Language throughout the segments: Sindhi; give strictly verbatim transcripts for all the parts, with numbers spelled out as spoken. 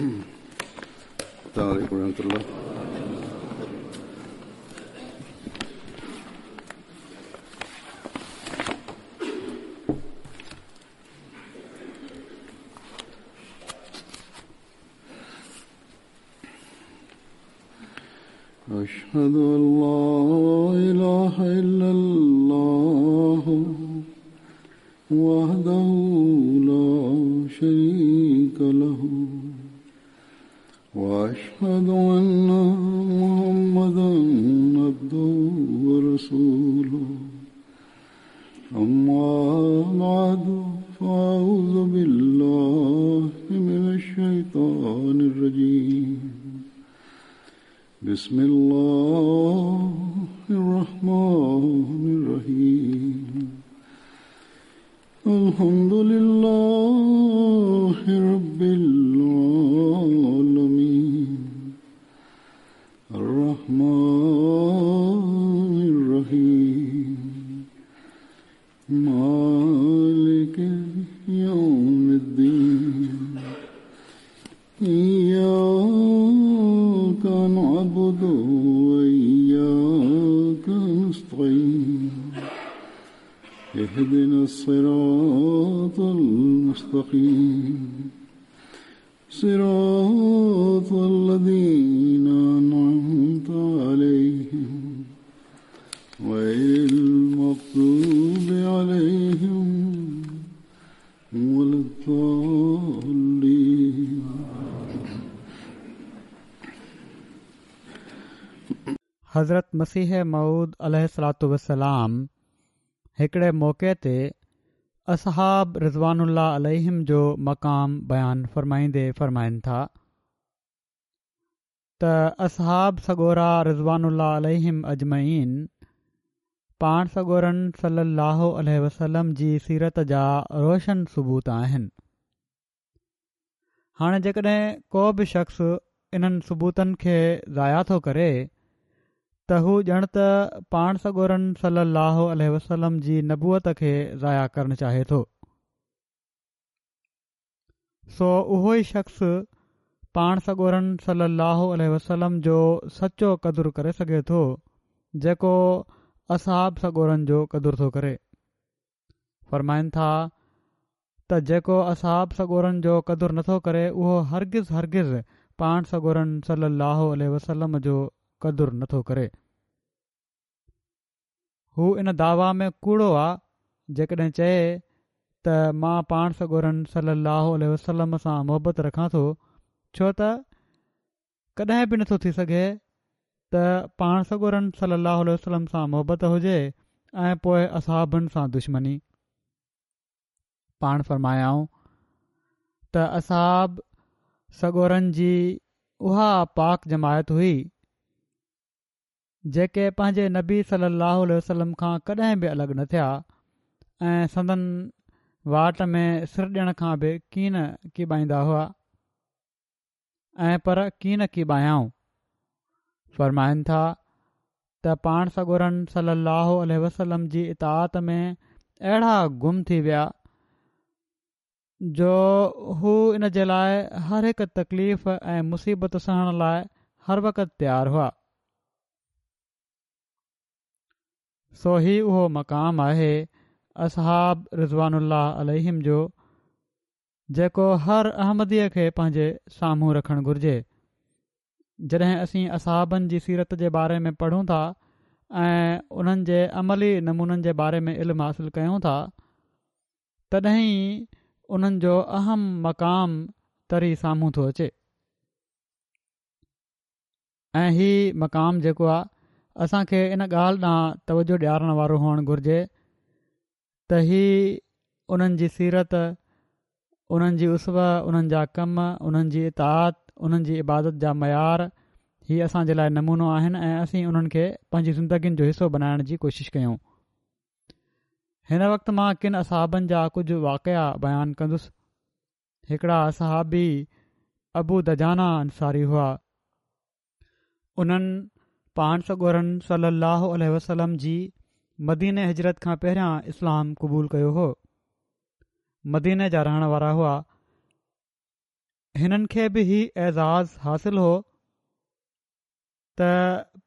السلام عليكم ورحمة الله. أشهد أن لا إله إلا الله وحده لا شريك له وأشهد أن محمدا عبده ورسوله. أما بعد فأعوذ بالله من الشيطان الرجيم. بسم الله الرحمن الرحيم. الحمد لله رب العالمين الرحمن الرحيم مالك يوم الدين. إياك نعبد وإياك نستعين. اهدنا الصراط المستقيم صراط الذين أنعمت عليهم غير المغضوب عليهم ولا الضالين. حضرت مسيح موعود عليه الصلاة والسلام هڪڙي موقعي تي اصحاب رضوان الله عليهم جو مقام بيان فرمائيندي فرمائن ٿا ته اصحاب سڳورا رضوان الله عليهم اجمعين پاڻ سڳورن صلي الله عليه وسلم جي سيرت جا روشن ثبوت آهن. هاڻي جيڪڏهن ڪو به شخص انهن ثبوتن کي ضايع ٿو ڪري ته هو ڄڻ ته پاڻ سڳورن صلي الله عليه وسلم جي نبوت کي ضايع ڪرڻ چاهي ٿو. سو اهو ئي شخص پاڻ سڳورن صلي الله عليه وسلم جو سچو قدر ڪري سگهي ٿو جيڪو اصحاب سڳورن جو قدر ٿو ڪري. فرمائن ٿا ته جيڪو اصحاب سڳورن جو قدر نٿو ڪري اهو هرگز هرگز پاڻ سڳورن صلي الله عليه وسلم جو قدر نٿو ڪري. هو ان دعويٰ ۾ ڪوڙو آ جيڪڏهن چئي ته مان پاڻ سڳورن صلي الله عليه وسلم سان محبت رکان ٿو، ڇو ته ڪڏهن به نٿو ٿي سگهي ته پاڻ سڳورن صلي الله عليه وسلم سان محبت هجي ۽ پوءِ اصحابن سان دشمني. پاڻ فرمايائون ته اصحاب سڳورن جي اها پاڪ جماعت هئي جيڪي پنهنجي نبي صلي الله عليه وسلم کان ڪڏهن به الڳ نه ٿيا ۽ سندن واٽ ۾ سر ڏيڻ کان به ڪين ڪيٻائيندا هئا ۽ پر ڪين ڪيٻايائون. فرمائن ٿا ته پاڻ سڳورن صلي الله عليه وسلم جي اطاعت ۾ اهڙا گم ٿي ويا جو هو ان جي لاءِ هر هڪ تڪليف ۽ مصيبت سهڻ لاءِ هر وقت تيار هئا. سو هي اهو مقام آهي اصحاب رضوان الله عليهم جو جيڪو هر احمديءَ کي پنهنجي سامهون رکڻ گهرجي. جڏهن اسين اصحابن جي سيرت جي باري ۾ پڙهون ٿا ۽ انهن جي عملي نمونن جي باري ۾ علم حاصل ڪيون ٿا تڏهن ئي انهن جو اهم مقام تري سامهون ٿو اچي. ۽ هي مقام جيڪو آهي اسان کي ان ڳالهه ڏانهن توجه ڏيارڻ وارو هئڻ گهرجي ته هي انهن جي سيرت، انهن جي اسوه، انهن جا ڪم، انهن جي اطاعت، انهن جي عبادت جا معيار هي اسان جي لاءِ نمونو آهن ۽ اسين انهن کي پنهنجي زندگين جو حصو بنائڻ جي ڪوشش ڪيون. هن وقت مان ڪن اصحابن جا ڪجهه واقعا بيان ڪندس. هڪڙا صحابي ابو دجانه انصاري هئا. انهن پاڻ سڳورن صلي الله عليه وسلم جي مديني هجرت کان پهريان اسلام قبول ڪيو هو. مديني جا رهڻ وارا هئا. هنن کي به هي اعزاز حاصل هو ته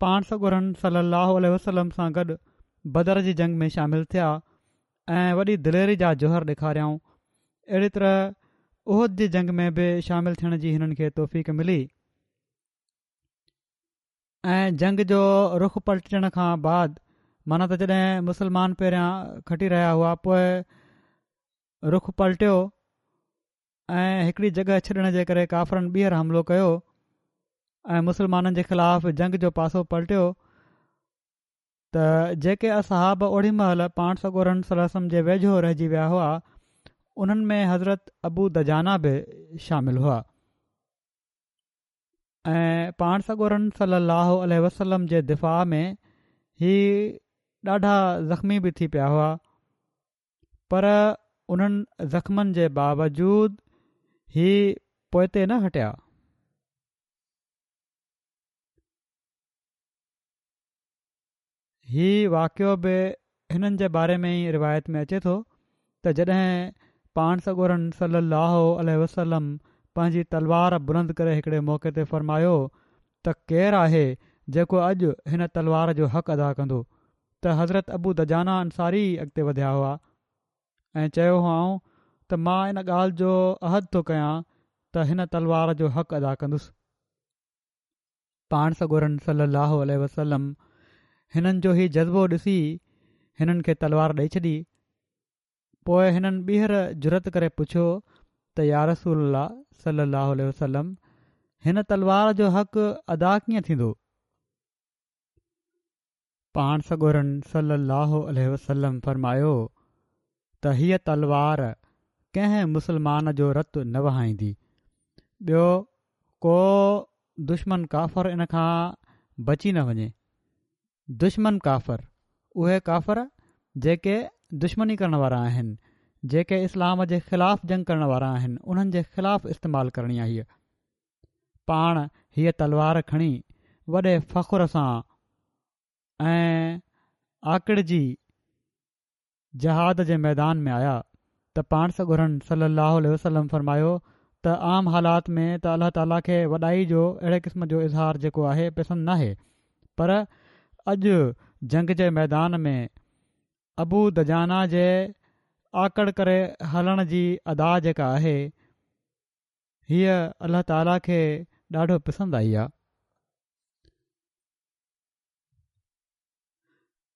پاڻ سڳورن صلي الله عليه وسلم سان گڏ بدر جي جنگ ۾ شامل ٿيا ۽ وڏي دليري جا جوهر ڏيکاريائون. اهڙي طرح احد جي جنگ ۾ به شامل ٿيڻ جي هنن کي توفيق ملي ۽ جنگ جو رخ پلٽجڻ کان بعد، معنيٰ ته جڏهن مسلمان پهريان کٽي رهيا هئا، پوء رخ پلٽيو ۽ هڪڙي جڳهه ڇڏڻ جي ڪري ڪافرن ٻيهر حملو ڪيو ۽ مسلمانن جي خلاف جنگ جو پاسو پلٽيو ته جيڪي اصحاب اوڏي مهل پاڻ سڳورن صلي الله عليه وسلم جي ويجهو رهجي ويا هئا، انهن ۾ حضرت ابو دجانه به شامل هئا ۽ پاڻ سڳورن صلي الله عليه وسلم جي دفاع ۾ هي ڏاڍا زخمي به ٿي پيا هئا، پر انهن زخمن جي باوجود هي پوئتي نه هٽيا. هي واقعو به هنن جي باري ۾ ئي روايت ۾ اچي ٿو ته جڏهن پاڻ سڳورن صلي الله عليه وسلم پنهنجي تلوار بلند ڪري هڪڙي موقعي تي فرمايو ته ڪير آهي جيڪو اڄ هن تلوار جو حق ادا ڪندو، ته حضرت ابو دجانه انصاري اڳتي وڌيا هئا ۽ چيو هئائون ته مان ان ڳالهه جو عهد ٿو ڪيان ته هن تلوار جو حق ادا ڪندس. پاڻ سڳورن صلي الله عليه وسلم هنن جو هي جذبو ڏسي هنن کي تلوار ڏئي ڇڏي. پوء هنن ٻيهر جرئت ڪري پڇيو ته يا رسول الله صلي الله عليه وسلم، هن تلوار جو حق ادا ڪيئن ٿيندو؟ پاڻ سڳورن صلي الله عليه وسلم فرمايو ته هيء تلوار ڪنهن مسلمان جو رت نه وهائيندي، ٻيو ڪو دشمن ڪافر ان کان بچي نه وڃي. دشمن ڪافر، اهي ڪافر جيڪي دشمني ڪرڻ وارا آهن، جيڪي اسلام جي خلاف جنگ ڪرڻ وارا آهن، انهن جي خلاف استعمال ڪرڻي آهي. پاڻ هيء تلوار کڻي وڏي فخر سان ۽ آڪڙجي جهاد جي ميدان ۾ آيا ته پاڻ سڳورن صلي الله عليه وسلم فرمايو ته عام حالات ۾ ته الله تعاليٰ کي وڏائي جو اهڙي قسم جو اظهار جيڪو آهي پسند ناهي، پر اڄ جنگ جي ميدان ۾ ابو دجانه جي آڪڙ ڪري هلڻ جي ادا جيڪا آهي، هيء الله تعاليٰ کي ڏاڍو پسند آئي آ.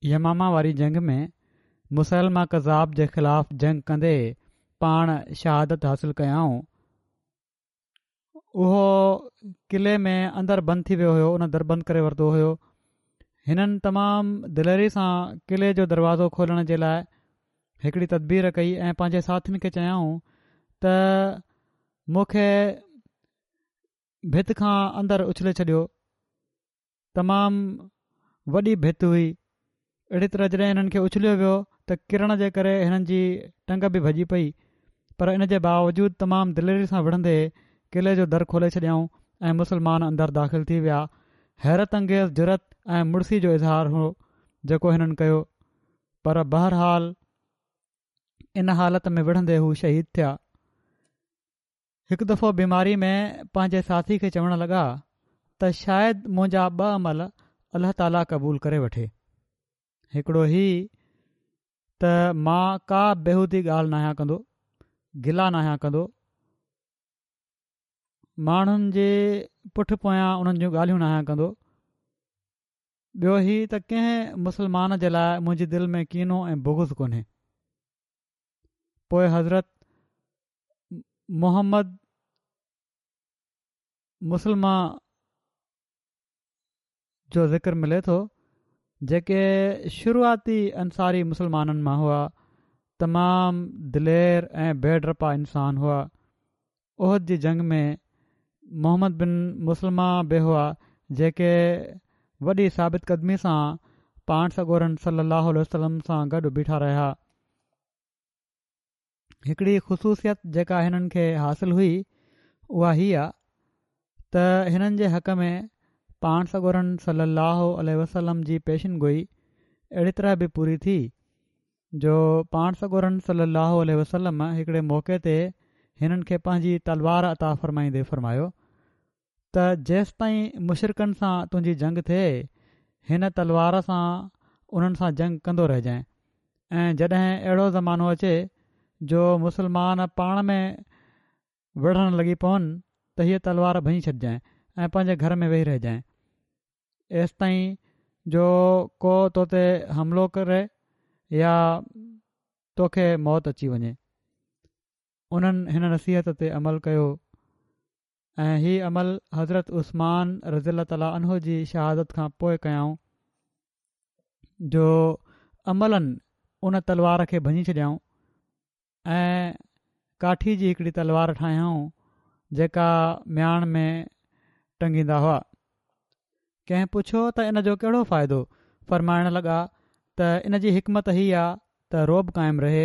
يمامه واري جنگ ۾ مسيلمه ڪذاب جي خلاف جنگ ڪندي پاڻ شهادت حاصل ڪيائون. اهو قلعي ۾ اندر بند ٿي ويو هيو، ان در بند ڪري ورتو هيو. هنن تمام دليري سان قلعي جو دروازو کولڻ جي لاء هڪڙي تدبير ڪئي ۽ پنهنجي ساٿين کي چيائون ته مون کي ڀت کان اندر اڇلي ڇڏيو. تمام وڏي ڀت هئي. اهڙي طرح جڏهن هنن کي اڇليو ويو ته ڪرڻ جي ڪري هنن جي ٽنگ به ڀڄي پئي، پر ان جي باوجود تمام دليري سان وڙهندي قلعي جو در کولي ڇڏيائون ۽ مسلمان اندر داخل ٿي ويا. حيرت انگيز جرئت ۽ مڙسي جو اظهار هو جيڪو هنن ڪيو، پر بهرحال ان حالت ۾ وڙهندي هو شهيد ٿيا. هڪ دفعو بيماري ۾ پنهنجي ساٿي کي چوڻ لڳا ته شايد منهنجا ٻه عمل الله تعاليٰ قبول ڪري وٺي، هڪڙو هي ته مان ڪا بيهودي ڳالهه ناهيان ڪندو، گلا ناهيان ڪندو، ماڻهن جي پٺ پويان انهن جون ڳالهيون ناهيان ڪندو، ٻيو هي ته ڪنهن مسلمان جي لاء منهنجي دل ۾ ڪينو ۽ بغض ڪونهي. پوء حضرت محمد مسلمه جو ذڪر ملي ٿو، جيڪي شروعاتي انصاري مسلمانن مان هئا. تمام دلير ۽ بي ڊپا انسان هئا. احد جي جنگ ۾ محمد بن مسلمه به هئا، جيڪي وڏي ثابت قدمي سان پاڻ سڳورن صلي الله عليه وسلم سان گڏ بيٺا رهيا. هڪڙي خصوصيت جيڪا هنن کي حاصل هئي اها هي آ ته هنن جي حق ۾ پاڻ سڳورن صلي الله عليه وسلم جي پيشن گوئي اهڙي طرح به پوري ٿي جو پاڻ سڳورن صلي الله عليه وسلم هڪڙي موقعي تي هنن کي پنهنجي تلوار عطا فرمائيندي فرمايو ته جيستائين مشرڪن سان تنهنجي جنگ ٿئي هن تلوار سان انهن سان جنگ ڪندو رهجانء ۽ جڏهن اهڙو زمانو اچي جو مسلمان پاڻ ۾ وڙهڻ لڳي پون ته هيء تلوار ڀڃي ڇڏجانء ۽ پنهنجي گهر ۾ ويهي رهجانء ايستائين جو ڪو تو تي حملو ڪري يا توکي موت اچي وڃي. انهن هن نصيحت تي عمل ڪيو ۽ هي عمل حضرت عثمان رضي الله تعالٰي عنه جي شهادت کان پوء ڪيائون جو عملاً ان تلوار کي ڀڃي ڇڏيائون ۽ ڪاٺي جي هڪڙي تلوار ٺاهيائون جيڪا مياڻ ۾ ٽنگيندا هئا. ڪنهن پڇيو ته ان جو ڪهڙو فائدو؟ فرمائڻ لڳا ته ان جي حڪمت هي آ ته رعب قائم رهي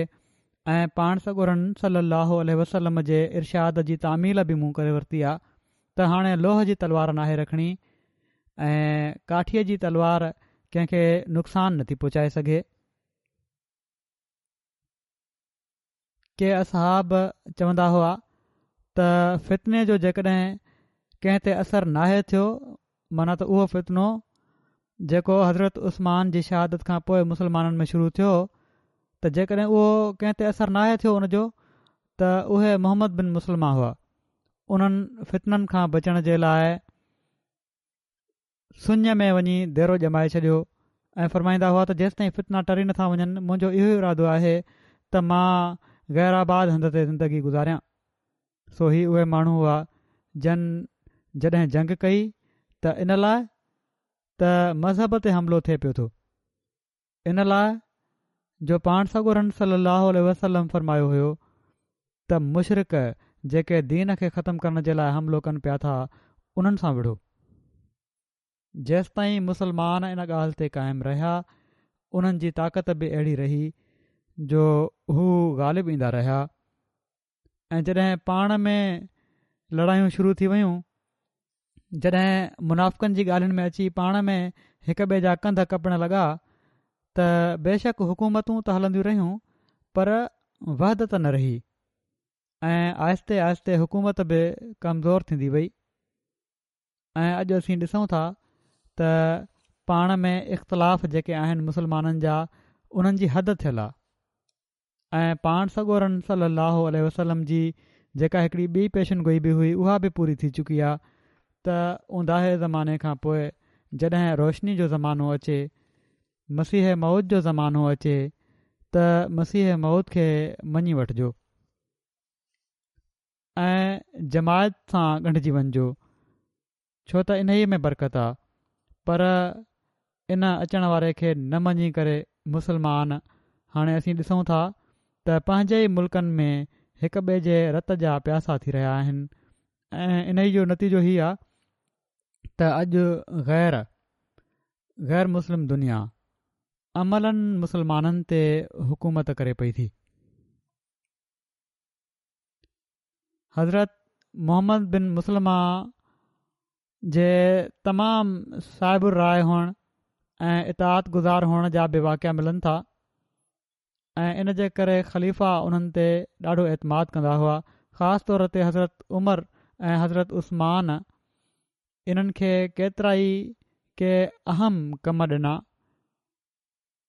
۽ پاڻ سڳورن صلي الله عليه وسلم جي ارشاد جي تعميل به مون ڪري ورتي آ ته هاڻي لوهه جي تلوار ناهي رکڻي ۽ ڪاٺيء جي تلوار ڪنهن کي نقصان نٿي پهچائي سگهي. ڪي اصحاب چوندا هئا ته فتني جو جيڪڏهن ڪنهن تي اثر ناهي ٿيو معنيٰ ته اهو فتنو جيڪو حضرت عثمان جي شهادت کان پوء مسلمانن ۾ شروع ٿيو ته جيڪڏهن اهو ڪنهن تي اثر ناهي ٿيو ان جو ته اهي محمد بن مسلمه هئا انهن فتنن کان بچڻ جي لاء سڃ ۾ وڃي ديرو ڄمائي ڇڏيو ۽ فرمائيندا هئا ته جيستائين فتنا ٽري نٿا وڃن منهنجو اهو ئي ارادو آهي ته مان غير آباد هنڌ تي زندگي گذاريان سو هي اهي ماڻهو هئا جن جڏهن جنگ ڪئي ته ان لاء ته مذهب تي حملو ٿئي پيو ٿو ان لاء جو پاڻ سڳورن صلي الله عليه وسلم فرمايو هيو ته مشرڪ جيڪي دين کي ختم ڪرڻ جي لاء حملو ڪن پيا ٿا انهن سان وڙهو. جيستائين مسلمان ان ڳالهه تي قائم رهيا انهن جي طاقت به اهڙي رهي جو هو غالب ايندا رهيا ۽ جڏهن پاڻ ۾ لڙايون شروع ٿي ويون جڏهن منافقن جي ڳالهين ۾ اچي پاڻ ۾ هڪ ٻئي جا ڪنڌ ڪپڻ لڳا ته بيشڪ حڪومتون ته هلنديون رهيون پر وحدت نه رهي ۽ آهستي آهستي حڪومت به ڪمزور ٿيندي وئي ۽ اڄ اسين ڏسون ٿا ته پاڻ ۾ اختلاف جيڪي آهن مسلمانن جا انهن جي حد ٿيل آهي ۽ پاڻ سڳورن صلّي اللّٰه عليه وسلّم جي جيڪا هڪڙي ٻي پيشن گوئي به هئي اها به پوري ٿي چڪي آ ته اونداهي زماني کان پوء جڏهن روشني جو زمانو اچي، مسيح موعود جو زمانو اچي ته مسيح موعود کي مڃي وٺجو ۽ جماعت سان ڳنڍجي وڃجو ڇو ته انهيء ۾ برڪت آ پر ان اچڻ واري کي نه مڃي ڪري مسلمان هاڻي اسين ڏسون ٿا ته پنهنجي ئي ملڪن ۾ هڪ ٻئي جي رت جا پياسا ٿي رهيا آهن ۽ انهي جو نتيجو هي آ ته اڄ غير غير مسلم دنيا عملاً مسلمانن تي حڪومت ڪري پئي ٿي. حضرت محمد بن مسلمه جي تمام صائب الراء هئڻ ۽ اطاعت گذار هئڻ جا به واقعا ملن ٿا ۽ ان جي ڪري خليفا انهن تي ڏاڍو اعتماد ڪندا هئا خاص طور تي حضرت عمر ۽ حضرت عثمان انهن کي ڪيترائي ڪي اهم ڪم ڏنا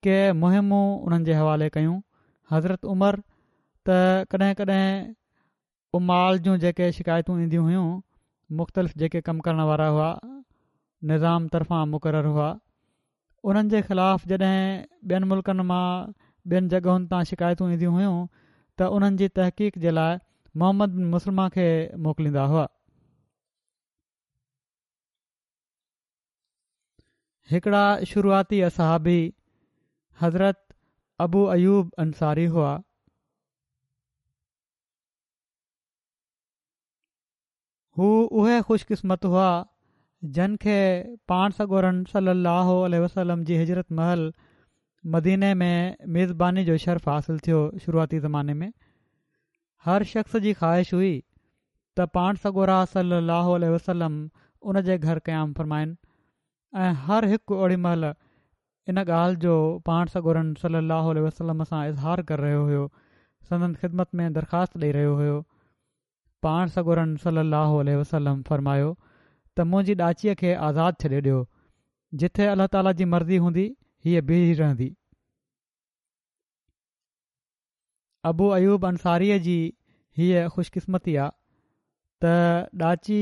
ڪي مهمون انهن جي حوالي ڪيون حضرت عمر ته ڪڏهن ڪڏهن عمال جون جيڪي شڪايتون اينديون هيون مختلف جيڪي ڪم ڪرڻ وارا هئا نظام طرفان مقرر هئا انهن جي خلاف جڏهن ٻين ملڪن مان ٻين جڳهن تان شڪايتون اينديون هيون ته انهن جي تحقيق جي لاء محمد بن مسلمه کي موڪليندا هئا. هڪڙا شروعاتي اصحابي حضرت ابو ايوب انصاري هئا. هو اهي خوش قسمت هئا جن کي پاڻ سڳورن صلي الله عليه وسلم جي هجرت مهل مديني ۾ ميزباني جو شرف حاصل ٿيو شروعاتي زماني ۾ هر شخص جي خواهش هئي ته پاڻ سڳورا صلي الله عليه وسلم ان جي گهر قيام فرمائن ۽ هر هڪ اوڙي مهل ان ڳالهه جو پاڻ سڳورن صلي الله عليه وسلم سان اظهار ڪري رهيو هيو سندن خدمت ۾ درخواست ڏئي رهيو هيو پاڻ سڳورن صلي الله عليه وسلم فرمايو ته منهنجي ڏاچيء کي آزاد ڇڏي ڏيو، جٿي الله تعاليٰ جي مرضي هوندي هيء بيهي رهندي. ابو ايوب انصاريء جي هيء خوشقسمتي آ ته ڏاچي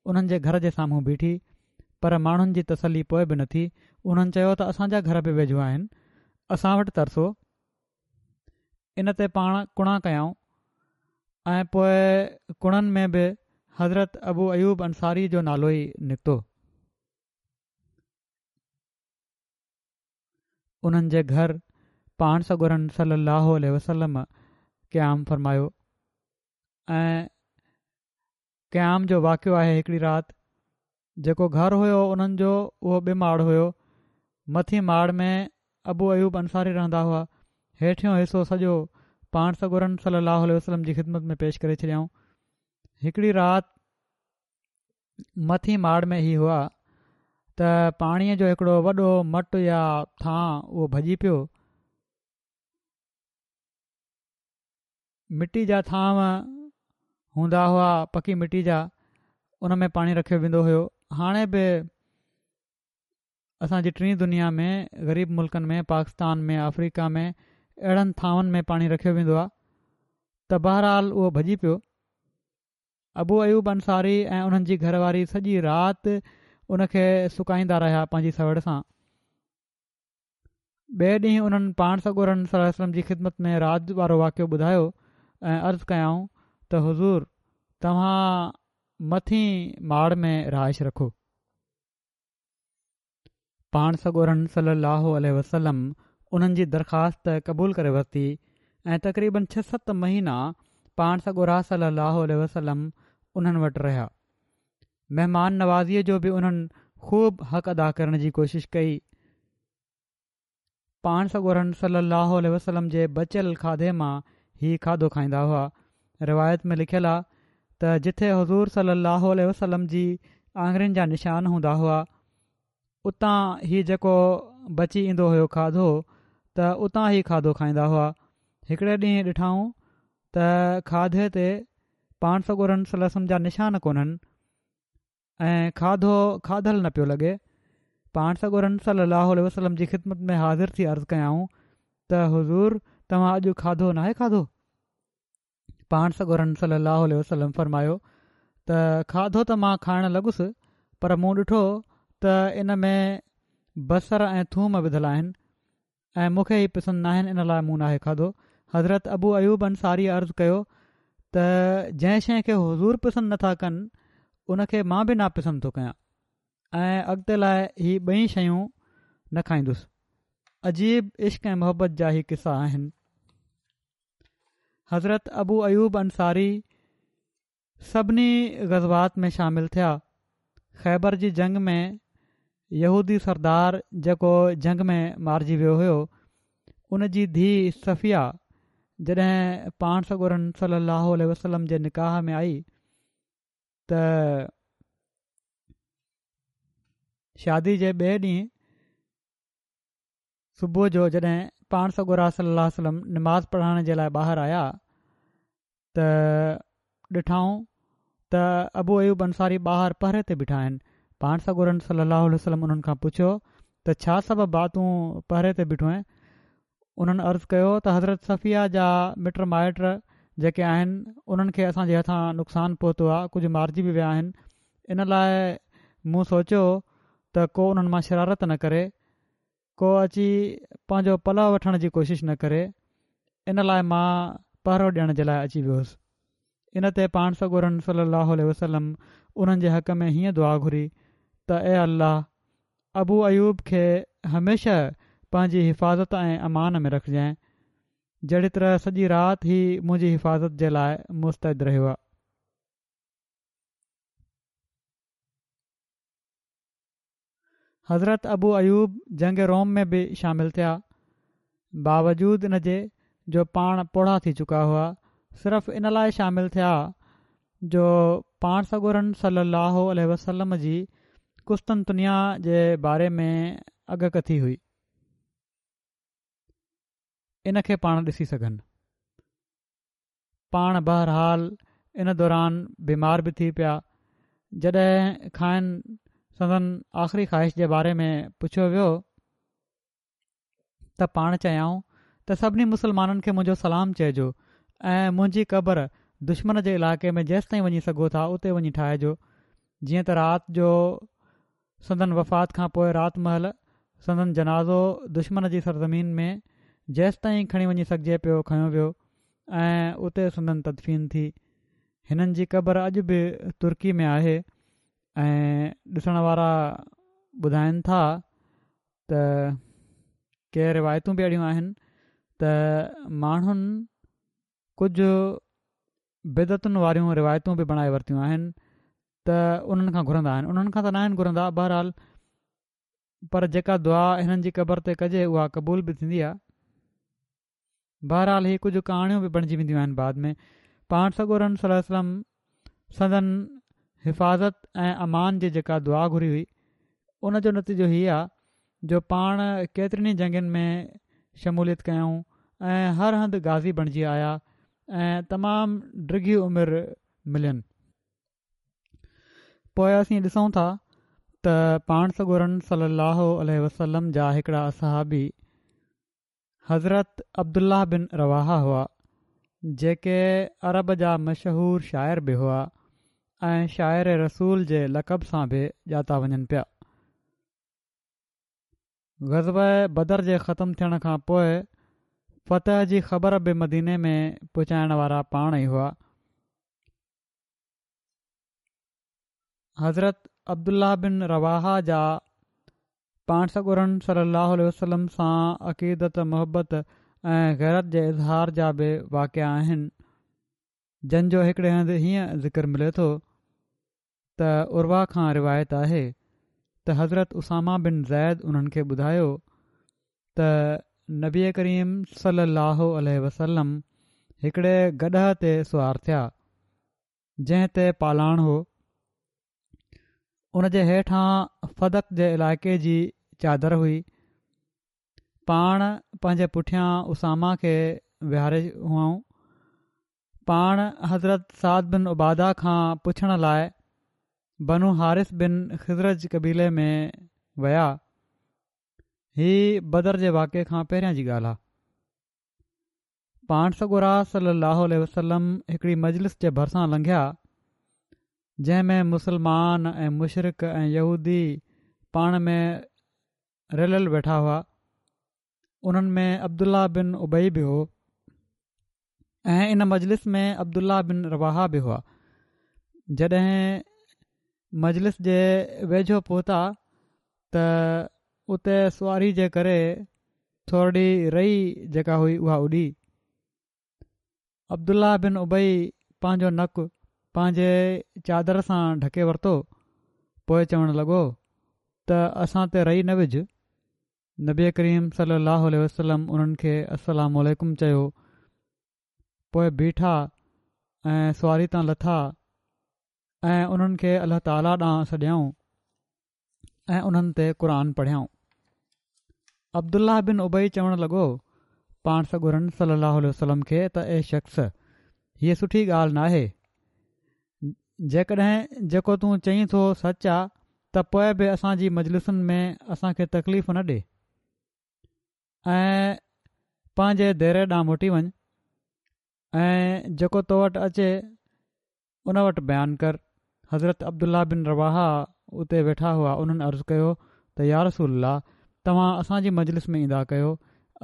انهن جي گهر جي سامهون بيٺي، پر ماڻهن جي تسلي پوء به نه ٿي. انهن چيو ته اسان جا گهر به ويجهو آهن، اسان وٽ ترسو. ان تي پاڻ ڪڻا ڪيائون ۽ پوء ڪڻن ۾ به حضرت ابو ايوب انصاري جو نالو ئي نڪتو. انهن جي گهر پاڻ سڳورن صلي الله عليه وسلم قيام فرمايو ۽ قيام جو واقعو آهي. هڪڙي رات جيڪو گهر هيو انهن جو اهو ٻه ماڙ هيو. مٿين ماڙ ۾ ابو ايوب انصاري رهندا هئا، هيٺيون حصو سڄو پاڻ سڳورن صلي الله عليه وسلم جي خدمت ۾ پيش ڪري ڇڏيائون. هڪڙي رات مٿين ماڙ ۾ هي هئا ته پاڻيء جو هڪڙو وڏو مٽ يا ٿانء اهو ڀڄي پيو. مٽي جا ٿانو هوندا هئا، پڪي مٽي جا، ان ۾ پاڻي رکيو ويندو هيو. هاڻي به اسان جي ٽين دنيا ۾ غريب ملڪن ۾، پاڪستان ۾، آفريڪا ۾ اهڙن ٿانون ۾ پاڻي رکيو ويندو آهي. ته بهرحال اهو ڀڄي پيو. ابو ايوب انصاري ۽ انهن جي گهر واري سڄي رات ان کي سڪائيندا رهيا پنهنجي سوڙ سان. ٻئي ڏينهن انهن پاڻ سڳورن صلي الله عليه وسلم جي خدمت ۾ رات وارو واقعو ٻڌايو ۽ عرض ڪيائون ته حضور توهان مٿين ماڙ ۾ رهائش رکو. پاڻ سڳورن صلي الله عليه وسلم انهن جي درخواست قبول ڪري ورتي ۽ تقريبن ڇهه ست مهينا پاڻ سڳورا صلي الله عليه وسلم انهن وٽ رهيا. مهمان نوازيء جو به انهن خوب حق ادا ڪرڻ جي ڪوشش ڪئي. پاڻ سڳورن صلي الله عليه وسلم جي بچيل کاڌي مان هي کاڌو کائيندا هئا. روايت ۾ لکيل آ ته جٿي حضور صلي الله عليه وسلم جي آڱرين جا نشان هوندا هئا، اتان هي جيڪو بچي ايندو هيو کاڌو ته اتان هي کاڌو کائيندا هئا. هڪڙي ڏينهن ڏٺائون ته کاڌي تي پاڻ سڳورن صلي الله عليه وسلم جا نشان ڪونهن ۽ کاڌو کاڌل نه پيو لڳي. پاڻ سڳورن صلي الله عليه وسلم جي خدمت ۾ حاضر ٿي عرض ڪيائون ته حضور توهان اڄ کاڌو ناهي کاڌو؟ پاڻ سڳورن صلي الله عليه وسلم فرمايو ته کاڌو ته مان کائڻ لڳس، پر مون ڏٺو ته ان ۾ بصر ۽ ٿوم وڌل آهن ۽ مون کي هي پسند ناهن، ان لاء مون ناهي کاڌو. حضرت ابو ايوب انصاري عرض ڪيو ته جنهن شيء کي حضور پسند نٿا ڪن ان کي مان به ناپسند ٿو ڪيان ۽ اڳتي لاء هي ٻئي شيون نه کائيندس. عجيب عشق ۽ محبت جا هي قصا آهن. حضرت ابو ايوب انصاري سڀني غزوات ۾ شامل ٿيا. خيبر جي جنگ ۾ يهودي سردار جيڪو جنگ ۾ مارجي ويو هيو، ان جي ڌيء صفيه جڏهن پاڻ سڳورن صلي الله عليه وسلم جي نڪاح ۾ آئي ته شادي جي ٻئي ڏينهن صبح جو جڏهن پاڻ سڳورا صلي الله عليه وسلم نماز پڙهائڻ جي لاء ٻاهر آيا ته ڏٺائون ته ابو ايوب انصاري ٻاهر پهري تي بيٺا آهن. پاڻ سڳورن صلي الله عليه وسلم انهن کان پڇيو ته ڇا سبب آ تون پهري تي بيٺو آهين؟ انهن عرض ڪيو ته حضرت صفيه جا مٽ مائٽ جيڪي آهن انهن کي اسان جي هٿان نقصان پهتو آ، ڪجهه مارجي به ويا آهن، ان لاء مون سوچيو ته ڪو انهن مان شرارت نه ڪري، ڪو اچي پنهنجو پلئه وٺڻ جي ڪوشش نه ڪري، ان لاء مان پهرو ڏيڻ جي لاء اچي ويو هوس. ان تي پاڻ سڳورن صلي الله عليه وسلم انهن جي حق ۾ هيئن دعا گهري ته اي الله ابو ايوب کي هميشه پنهنجي حفاظت ۽ امان ۾ رکجانء، جهڙي طرح سڄي رات هي منهنجي حفاظت جي لاء مستعد رهيو آ. حضرت ابو ايوب جنگ روم ۾ به شامل ٿيا، باوجود ان جي جو پاڻ پوڙها ٿي چڪا هئا، صرف ان لاء شامل ٿيا جو پاڻ سڳورن صلي الله عليه وسلم جي قسطنطنيه جي باري ۾ اڳڪٿي هئي، ان کي پاڻ ڏسي سگهن. پاڻ بهرحال ان دوران بيمار به ٿي پيا. جڏهن کانئن سندن آخري خواهش جي باري ۾ پڇيو ويو ته پاڻ چيائون ته سڀني مسلمانن کي منهنجو سلام چئجو ۽ منهنجي قبر دشمن جي علائقي ۾ جيستائين وڃي سگهو ٿا اتي وڃي ٺاهجو. جيئن ته رات جو سندن وفات کان پوء رات مهل سندن جنازو دشمن جي سرزمين ۾ جيستائين کڻي وڃي سگهجي پيو کنيو ويو ۽ اتي سندن تدفين ٿي. هنن جي قبر اڄ به ترڪي ۾ آهي ۽ ڏسڻ وارا ٻڌائن ٿا ته ڪي روايتون به اهڙيون آهن ته ماڻهن ڪجهه بدعتن واريون روايتون به بڻائي ورتيون آهن ته انهن کان گهرندا آهن. انهن کان ته ناهن گهرندا بهرحال، پر جيڪا دعا هنن جي قبر تي ڪجي اها قبول به ٿيندي آهي. بهرحال هي ڪجهه ڪهاڻيون به بڻجي وينديون آهن بعد ۾. پاڻ سڳورن صلي الله عليه وسلم سندن حفاظت ۽ امان جي جيڪا دعا گهري هئي ان جو نتيجو هي آ جو پاڻ ڪيترين ئي جنگين ۾ شموليت ڪيائون ۽ هر هنڌ غازي بڻجي آيا ۽ تمام ڊگهي عمر ملين. پوء اسين ڏسون ٿا ته پاڻ سڳورن صلي الله عليه وسلم جا هڪڙا اصحابي حضرت عبدالله بن رواحه هئا، جيڪي عرب جا مشهور شاعر به هئا ۽ شاعر رسول جي لقب سان به ڄاتا وڃن پيا. غزوه بدر جي ختم ٿيڻ کان پوء فتح جي خبر به مديني ۾ پهچائڻ وارا پاڻ ئي هئا. حضرت عبدالله بن رواحه جا پاڻ سڳورن صلي الله عليه وسلم سان عقيدت، محبت ۽ غيرت جي اظهار جا به واقعا آهن، جن جو هڪڙي هنڌ هيئن ذڪر ملي ٿو ته عروه کان روايت آهي ته حضرت اسامه بن زيد انهن کي ٻڌايو ته نبي ڪريم صلي الله عليه وسلم هڪڙي گڏهه تي سوار ٿيا، جنهن تي پالان هو. ان جي هيٺان فدڪ جي علائقي جي چادر هئي. پاڻ پنهنجي پٺيان اسامه کي ويهاري هئائون. پاڻ حضرت سعد بن عباده کان پڇڻ لاء بنو حارث بن خزرج قبيلي ۾ ويا. هي بدر جي واقعي کان پهريان جي ڳالهه آهي. پاڻ سڳورا صلي الله عليه وسلم هڪڙي مجلس جي ڀرسان لنگهيا، جنهن ۾ مسلمان ۽ مشرڪ ۽ يهودي پاڻ ۾ رليل ويٺا هئا. انهن ۾ عبدالله بن ابي به هو ۽ ان مجلس ۾ عبدالله بن رواحه به هئا. جڏهن مجلس جي ويجهو پهتا ته اتي سواري جي ڪري ٿورڙي رئي جيڪا هئي اها اڏي. عبدالله بن ابي پنهنجو نڪ پنهنجي چادر سان ڍڪي ورتو، پوء چوڻ لڳو ته اسان تي رئي نه وجهه. نبي ڪريم صلي الله عليه وسلم انهن کي السلام عليڪم چيو، پوء بيٺا ۽ سواري تان لٿا ۽ انهن کي الله تعاليٰ ڏانهن سڏيائون ۽ انهن تي قرآن پڙهيائون. عبدالله بن ابي چوڻ لڳو پاڻ سڳورن صلي الله عليه وسلم کي ته اي شخص! هيء سٺي ڳالهه ناهي، جيڪڏهن جيڪو تون چئين ٿو سچ آ ته پوء به اسان جي مجلسن ۾ اسان کي تڪليف نه ڏي ۽ پنهنجي ديري ڏانهن موٽي وڃ ۽ جيڪو تو وٽ اچي ان وٽ بيان ڪر. حضرت عبدالله بن رواحه اتي ويٺا هئا انهن عرض ڪيو ته يا رسول الله توهان اسان جي مجلس ۾ ايندا ڪيو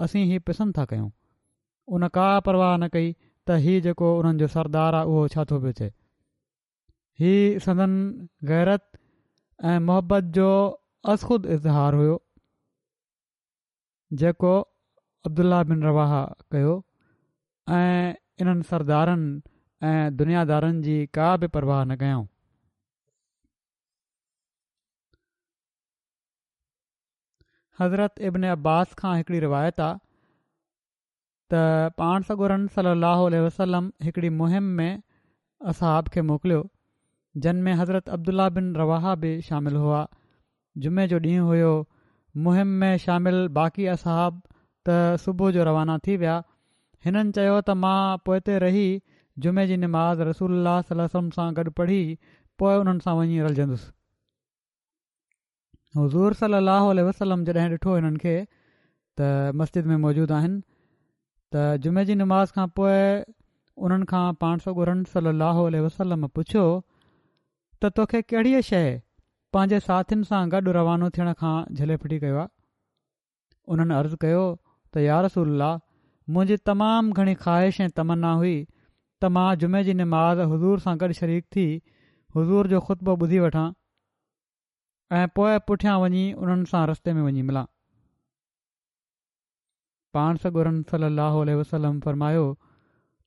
اسين هي پسند ٿا ڪيون. ان ڪا پرواهه نه ڪئي ته هي جيڪو انهن جو سردار آ اهو ڇا ٿو پيو چئي. هي سندن غيرت ۽ محبت جو ازخود اظهار هيو. جيڪو عبدالله بن رواحه ڪيو ۽ انهن سردارن ۽ دنيا دارن جي ڪا به پرواهه نه ڪيائون. حضرت ابن عباس کان هڪڙي روايت آ ته پاڻ سڳورن صلي الله عليه وسلم هڪڙي مهم ۾ اصحاب کي موڪليو جن ۾ حضرت عبدالله بن رواحه به شامل هئا. جمعي جو ڏينهن هيو. مهم ۾ شامل باقي اصحاب ته صبح جو روانا ٿي ويا. هنن چيو ته مان پوئتي رهي جمعي جي نماز رسول الله صلي الله عليه وسلم سان گڏ پڙهي پوءِ انهن سان وڃي رلجندس. حضور صلي الله عليه وسلم جڏهن ڏٺو هنن کي ته مسجد ۾ موجود آهن ته جمعي جي نماز کان پوءِ انهن کان پاڻ سڳورن صلي الله عليه وسلم پڇيو ته توکي ڪهڙيءَ شيءِ پنهنجي ساٿين سان گڏ روانو ٿيڻ کان جهلي ڦٽي ڪيو آهي؟ انهن عرض ڪيو ته يا رسول الله، منهنجي تمام گهڻي خواهش ۽ تمنا هئي ته مان جمعي جي نماز حضور سان گڏ شريڪ ٿي حضور جو خطبو ٻڌي وٺان ۽ پوءِ پٺيان وڃي انهن سان رستي ۾ وڃي ملان. پاڻ سڳورن صلي الله عليه وسلم فرمايو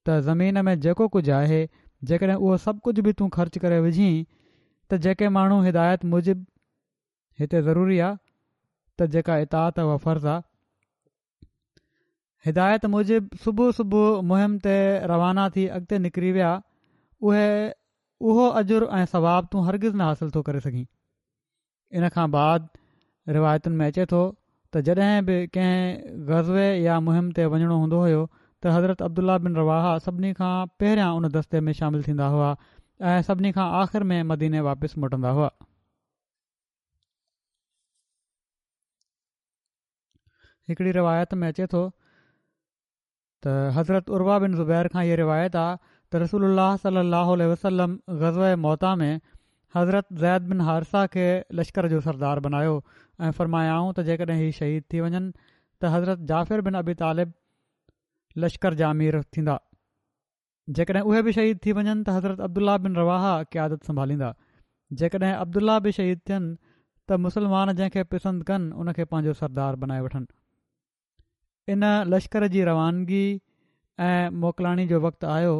ته زمين ۾ جيڪو ڪجهه آهي جيڪڏهن اهو سڀ ڪجهه به تون خرچ ڪري وجهين ته جيڪي ماڻهو هدايت موجب، هتي ضروري آهي ته جيڪا اطاعت اها فرض آهي، هدايت موجب صبح صبح مهم تي روانا ٿي اڳتي نڪري ويا، اهي اهو اجر ۽ ثواب تون هرگز نه حاصل ٿو ڪري سگهين. ان کان بعد روايتن ۾ اچي ٿو ته جڏهن به ڪنهن غزوي يا مهم تي وڃڻو هوندو هيو ته حضرت عبدالله بن رواحه سڀني کان پهريان ان دستي ۾ شامل ٿيندا هئا ۽ سڀني کان آخر ۾ مديني واپس موٽندا هئا. هڪڙي روايت ۾ اچي ٿو ته حضرت عروه بن زبير کان اها روايت آهي ته رسول الله صلي الله عليه وسلم غزوه موته ۾ حضرت زيد بن حارثه کي لشڪر جو سردار بنايو ۽ فرمايائون ته جيڪڏهن هي شهيد ٿي وڃن ته حضرت جعفر بن ابي طالب لشڪر جا امير ٿيندا، جيڪڏهن اهي به شهيد ٿي وڃن ته حضرت عبدالله بن رواحه قيادت سنڀاليندا، جيڪڏهن عبدالله به شهيد ٿين ته مسلمان جنهن کي پسند ڪن ان کي پنهنجو سردار بنائي وٺن. ان لشڪر جي روانگي ۽ موڪلاڻي جو وقت آيو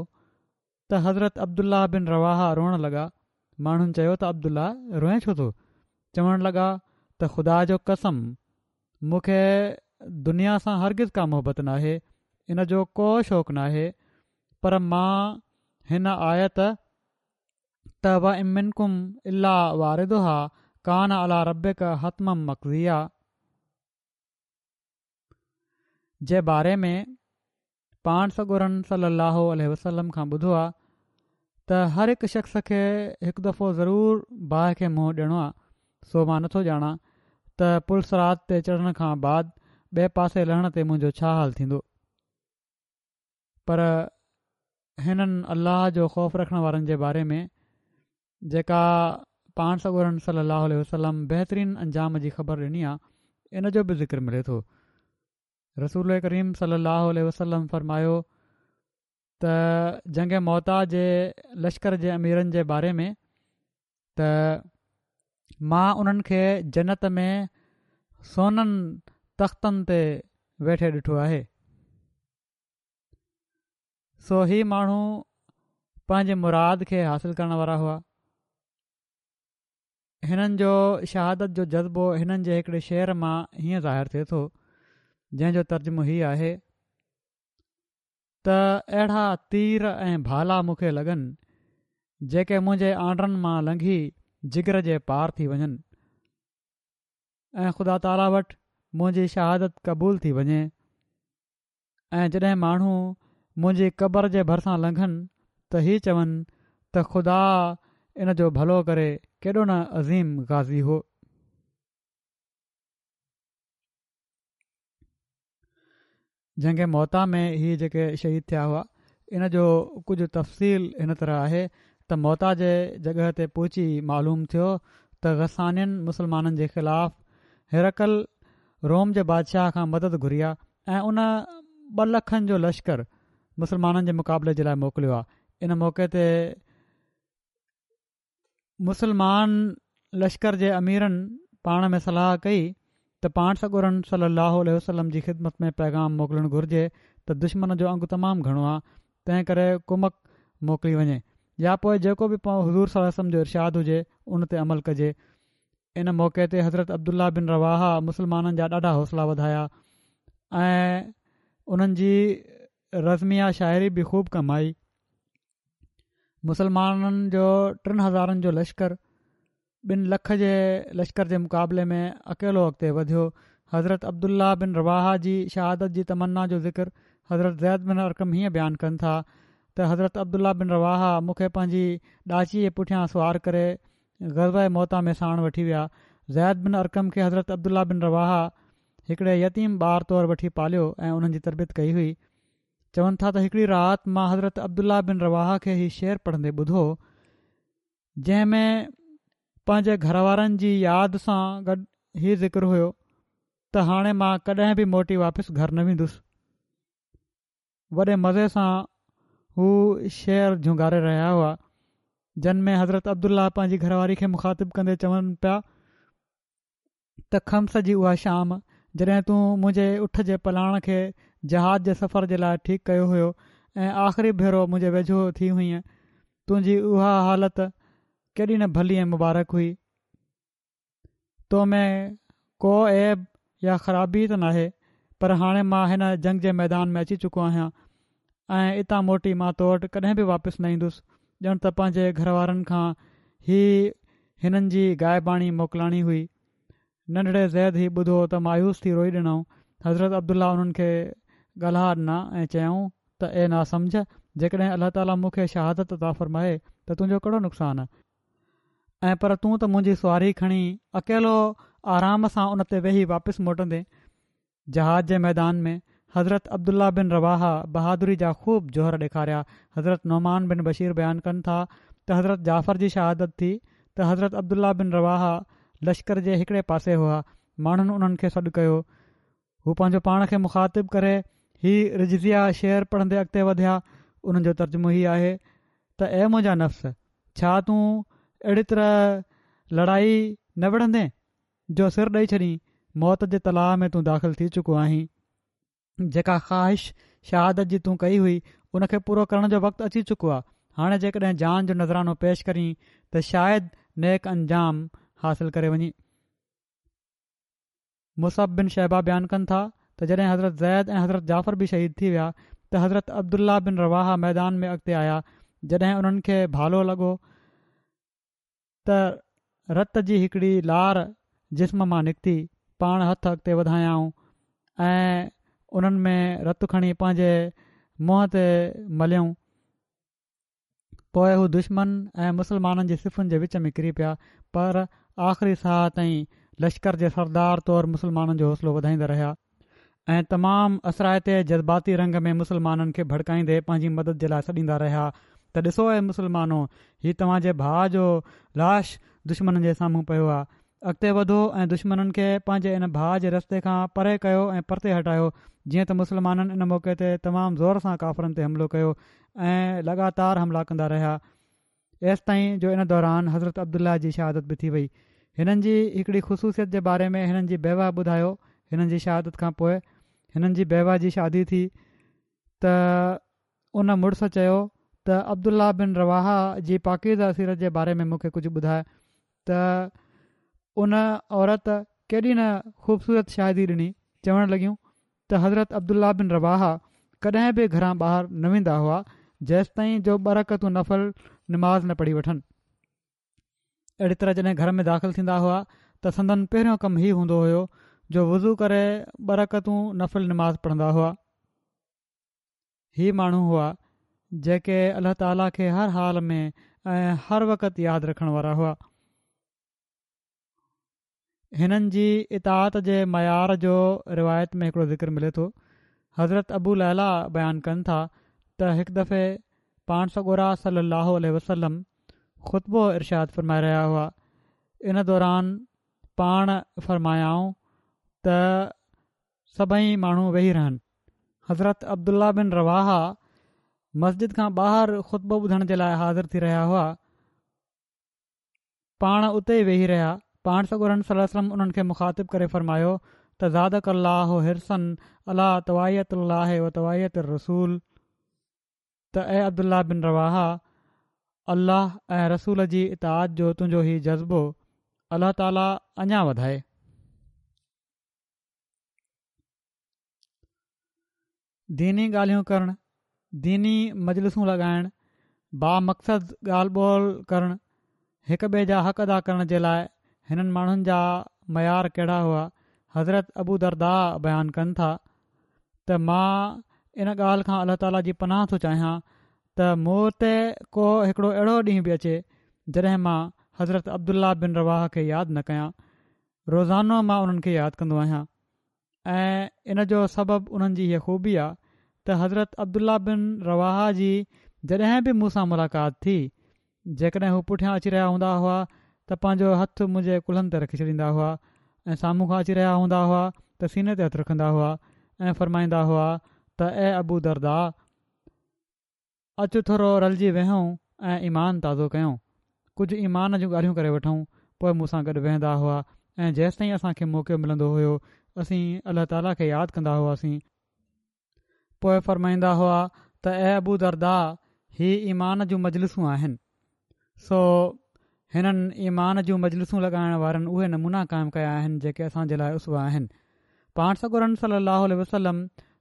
ته حضرت عبدالله بن رواحه روئڻ لڳا. ماڻهن چيو ته عبدالله روئين ڇو ٿو؟ چوڻ لڳا ته خدا جو قسم مون کي دنيا سان هرگز ڪا محبت ناهي، ان جو ڪو شوق ناهي، پر مان هن آيت ته وَإِن مِّنكُمْ إِلَّا وَارِدُهَا ڪان عَلَىٰ رَبِّڪَ حَتْمًا مَّقْضِيًّا جي باري ۾ پاڻ سڳورن صلي الله عليه وسلم کان ٻڌو آهي ته هر هڪ شخص کي هڪ دفعو ضرور باهه کي منهن ڏيڻو آهي، سو مان نٿو ڄاڻان ته پل صراط تي چڙهڻ کان بعد ٻئي پاسي لهڻ تي منهنجو ڇا حال ٿيندو. پر هنن الله جو خوف رکڻ وارن جي باري ۾ جيڪا پاڻ سڳورن صلي الله عليه وسلم بهترين انجام جي خبر ڏني آهي ان جو به ذڪر ملي ٿو. رسول ڪريم صلي الله عليه وسلم فرمايو ته جنگ موته جي لشڪر جي اميرن جي باري ۾ ته مان انهن کي جنت ۾ سونن تختن تي ويٺي ڏٺو آهي. سو هي ماڻهو پنهنجي مراد کي حاصل ڪرڻ وارا هئا. هنن جو شهادت جو جذبو هنن جي هڪڙي شعر مان هيئن ظاهر ٿئي ٿو جنهن جو ترجمو هي آهي ته اهڙا تير ۽ ڀالا مون کي لڳن جيڪي منهنجي آنڊرن مان لنگهي جگر جي پار ٿي وڃن ۽ خدا تعاليٰ وٽ منهنجي شهادت قبول ٿي وڃي، ۽ جڏهن ماڻهو منهنجي قبر جي ڀرسان لنگهن ته هي چون ته خدا ان جو ڀلو ڪري، ڪيڏو نه عظيم غازي هو. جنگ موته ۾ هي جيڪي شهيد ٿيا هئا ان جو ڪجهه تفصيل هن طرح آهي ته موته جي جڳهه تي پهچي معلوم ٿيو ته غسانين مسلمانن جي خلاف هرقل روم جي بادشاهه کان مدد گهري آهي ۽ ان ٻه لکن جو لشڪر مسلمانن جي مقابلي جي لاءِ موڪليو آهي. ان موقعي تي مسلمان لشڪر جي اميرن پاڻ ۾ صلاح ڪئي ته پاڻ سڳورن صلي الله عليه وسلم جي خدمت ۾ پيغام موڪلڻ گهرجي ته دشمن جو انگ تمام گهڻو آهي، تنهن ڪري ڪمڪ موڪلي وڃي يا پوءِ جيڪو به حضور صلي الله عليه وسلم جو ارشاد هجي ان تي عمل ڪجي. ان موقعي تي حضرت عبدالله بن رواحه مسلمانن جا ڏاڍا حوصلا وڌايا ۽ انهن جي رزميه شاعري به خوب ڪم آئي. مسلمانن جو ٽن هزارن جو لشڪر ٻن لک جي لشڪر جي مقابلي ۾ اڪيلو اڳتي وڌيو. حضرت عبدالله بن رواحه جي شهادت جي تمنا جو ذڪر حضرت زيد بن ارقم هيئن بيان ڪن ٿا ته حضرت عبدالله بن رواحه مون کي پنهنجي ڏاچي جي پٺيان سوار ڪري غزوه موته ۾ ساڻ وٺي ويا. زيد بن ارقم کي حضرت عبدالله بن رواحه هڪڙي يتيم ٻار طور وٺي پاليو ۽ انهن جي تربيت ڪئي هئي. چون ٿا ته هڪڙي رات مان حضرت عبدالله بن رواحه کي هي شعر پڙهندي ٻڌو، جنهن ۾ پنهنجي گهر وارن جي ياد سان گڏ هي ذڪر هيو ته هاڻي مان ڪڏهن به موٽي واپس گهر نه ويندس. وڏي مزي سان هو شعر جهونگاري رهيا هئا، جن ۾ حضرت عبدالله پنهنجي گهر واري کي مخاطب ڪندي چون پيا ته خمس جي اها شام جڏهن تون منهنجي اٺ جي پلاڻ کي جهاد جي سفر جي لاء ٺيڪ ڪيو هيو ۽ آخري ڀيرو منهنجي ويجهو ٿي هئينء، تنهنجي اها حالت ڪيڏي نه ڀلي ۽ مبارڪ هئي. تو ۾ ڪو عيب يا خرابي ته ناهي، پر هاڻي مان هن جنگ جي ميدان ۾ اچي چڪو آهيان ۽ اتان موٽي مان تو وٽ ڪڏهن به واپس نه ايندس. ڄڻ ته پنهنجي گهر وارن کان هي هنن جي غائباڻي موڪلاڻي هئي. ننڍڙي زيد هي ٻڌو ته مايوس ٿي روئي ڏنائون. حضرت عبدالله انهن کي ڳالها ڏنا ۽ چيائون ته اي ناسمجهه، جيڪڏهن الله تعاليٰ مون کي شهادت عطا فرمائي ته تنهنجو ڪهڙو نقصان؟ ۽ پر تون ته منهنجي سواري کڻي اڪيلو آرام سان ان تي ويهي واپس موٽندين. جهاد جي ميدان ۾ حضرت عبدالله بن رواحه بهادري جا خوب جوهر ڏيکاريا. حضرت نعمان بن بشير بيان ڪن ٿا ته حضرت جعفر جي شهادت ٿي ته حضرت عبدالله بن رواحه لشڪر جي هڪڙي پاسي هئا. ماڻهن انهن کي سڏ ڪيو. هو پنهنجو پاڻ کي مخاطب ڪري هي رجزيه شعر پڙهندي اڳتي وڌيا. انهن جو ترجمو هي آهي ته اي منهنجا نفس! ڇا تون اهڙي طرح لڙائي نه وڙهندين جو سر ڏئي ڇڏين؟ موت جي تلاء ۾ تون داخل ٿي چڪو آهين. جيڪا خواهش شهادت جي تون ڪئي هئي، ان کي پورو ڪرڻ جو وقت اچي چڪو آهي. هاڻي جيڪڏهن جان جو نذرانو پيش ڪرين ته شايد نيڪ انجام حاصل ڪري وڃين. مصعب بن شيبه بيان ڪن ٿا ته جڏهن حضرت زيد ۽ حضرت جعفر به شهيد ٿي ويا ته حضرت عبدالله بن رواحه ميدان ۾ اڳتي آيا. جڏهن انهن کي ڀالو لڳو ته رت جي هڪڙي لار جسم مان نڪتي. پاڻ هٿ اڳتي وڌايائون ۽ انهن ۾ رت کڻي پنهنجي منهن تي مليائون. پوءِ هو دشمن ۽ مسلمانن جي صفن جي وچ ۾ ڪري پيا، پر آخري ساهه تائين لشڪر جي سردار طور مسلمانن جو حوصلو وڌائيندا رهيا ۽ تمام اثرائتي جذباتي رنگ ۾ مسلمانن کي ڀڙڪائيندي پنهنجي مدد جي لاءِ سڏيندا رهيا ته ڏسو اي مسلمانو، هي توهان جي ڀاءُ جو لاش دشمنن جي سامهون پيو آهي، اڳتي وڌو ۽ دشمنن کي پنهنجي ان ڀاءُ جي رستي کان پري ڪيو ۽ پرتي هٽايو. جيئن ته مسلمانن ان موقعي تي تمام زور سان ڪافرن تي حملو ڪيو ۽ لڳاتار حملا ڪندا رهيا، ايستائين جو ان دوران حضرت عبدالله جي شهادت به ٿي وئي. هنن جي هڪڙي خصوصيت جي باري ۾ هنن جي بيوه ٻڌايو، هنن جي شهادت کان پوءِ هنن جي بيوه جي شادي ٿي ته ان مڙس چيو ته عبدالله بن رواحه جي پاڪيزه سيرت جي باري ۾ مون کي ڪجهه ٻڌاءِ ته ان عورت ڪيڏي نه خوبصورت شاهدي ڏني. چوڻ لڳيون ته حضرت عبدالله بن رواحه ڪڏهن به گهران ٻاهر نه ويندا هئا جيستائين جو ٻه رڪعتون نفل نماز نه پڙهي وٺن. اهڙي طرح جڏهن گهر ۾ داخل ٿيندا هئا ته سندن پهريون ڪم هي هوندو هيو جو وضو ڪري ٻه رڪعتون نفل نماز پڙهندا هئا. هي ماڻهو هئا جيڪي الله تعاليٰ کي هر حال ۾ ۽ هر وقت ياد رکڻ وارا هئا. هنن جي اطاعت جي معيار جو روايت ۾ هڪڙو ذڪر ملي ٿو. حضرت ابو ليليٰ بيان ڪن ٿا ته هڪ دفعي پاڻ سڳورا صلي الله عليه وسلم خطبو ارشاد فرمائي رهيا هئا. ان دوران پاڻ فرمايائون ته سڀئي ماڻهو ويهي رهن. حضرت عبدالله بن رواحه مسجد کان ٻاهر خطبو ٻڌڻ جي لاءِ حاضر ٿي رهيا هئا. پاڻ اتي ئي ويهي رهيا. پاڻ سڳورن صلي الله عليه وسلم انهن کي مخاطب ڪري فرمايو ته زادڪ الله حرصا علي طواعية الله و طواعية الرسول، ته اي عبدالله بن رواحه، الله ۽ رسول جي اطاعت جو تنهنجو هي جذبو الله تعاليٰ اڃا وڌائي. ديني ڳالهيون ڪرڻ، ديني مجلسون لڳائڻ، بامقصد ڳالهه ٻولهه ڪرڻ، هڪ ٻئي جا حق ادا ڪرڻ جي لاءِ هنن ماڻهن جا معيار ڪهڙا هئا. حضرت ابو درداء بيان ڪن ٿا ته مان ان ڳالهه کان الله تعاليٰ جي پناهه ٿو چاهيان ته ته مون تي ڪو هڪڙو اهڙو ڏينهن به اچي جڏهن مان حضرت عبدالله بن رواحه کي ياد نه ڪيان. روزانو مان انهن کي ياد ڪندو آهيان ۽ ان جو سبب انهن جي هيء خوبي آ ته حضرت عبدالله بن رواحه جي جڏهن به مون سان ملاقات ٿي، جيڪڏهن هو پٺيان اچي رهيا هوندا هئا ته پنهنجو هٿ منهنجي ڪلهن تي رکي ڇڏيندا هئا ۽ سامهون کان اچي رهيا هوندا هئا ته سيني تي هٿ رکندا هئا ۽ فرمائيندا هئا ته اي ابو درداء! اچ ٿورو رلجي ويهون ۽ ايمان تازو ڪيون. ڪجهه ايمان جون ڳالهيون ڪري وٺون. پوء مون سان گڏ ويهندا هئا ۽ جيستائين اسان کي موقعو ملندو هيو اسين الله تعاليٰ کي ياد ڪندا هئاسين. پوء فرمائيندا هئا ته اي ابو درداء! هي ايمان جون مجلسون آهن. سو هنن ايمان جون مجلسون لڳائڻ وارن اهي نمونا قائم ڪيا آهن جيڪي اسان جي لاء اسوه آهن. پاڻ سڳورن صلّي اللّٰه عليه وسلّم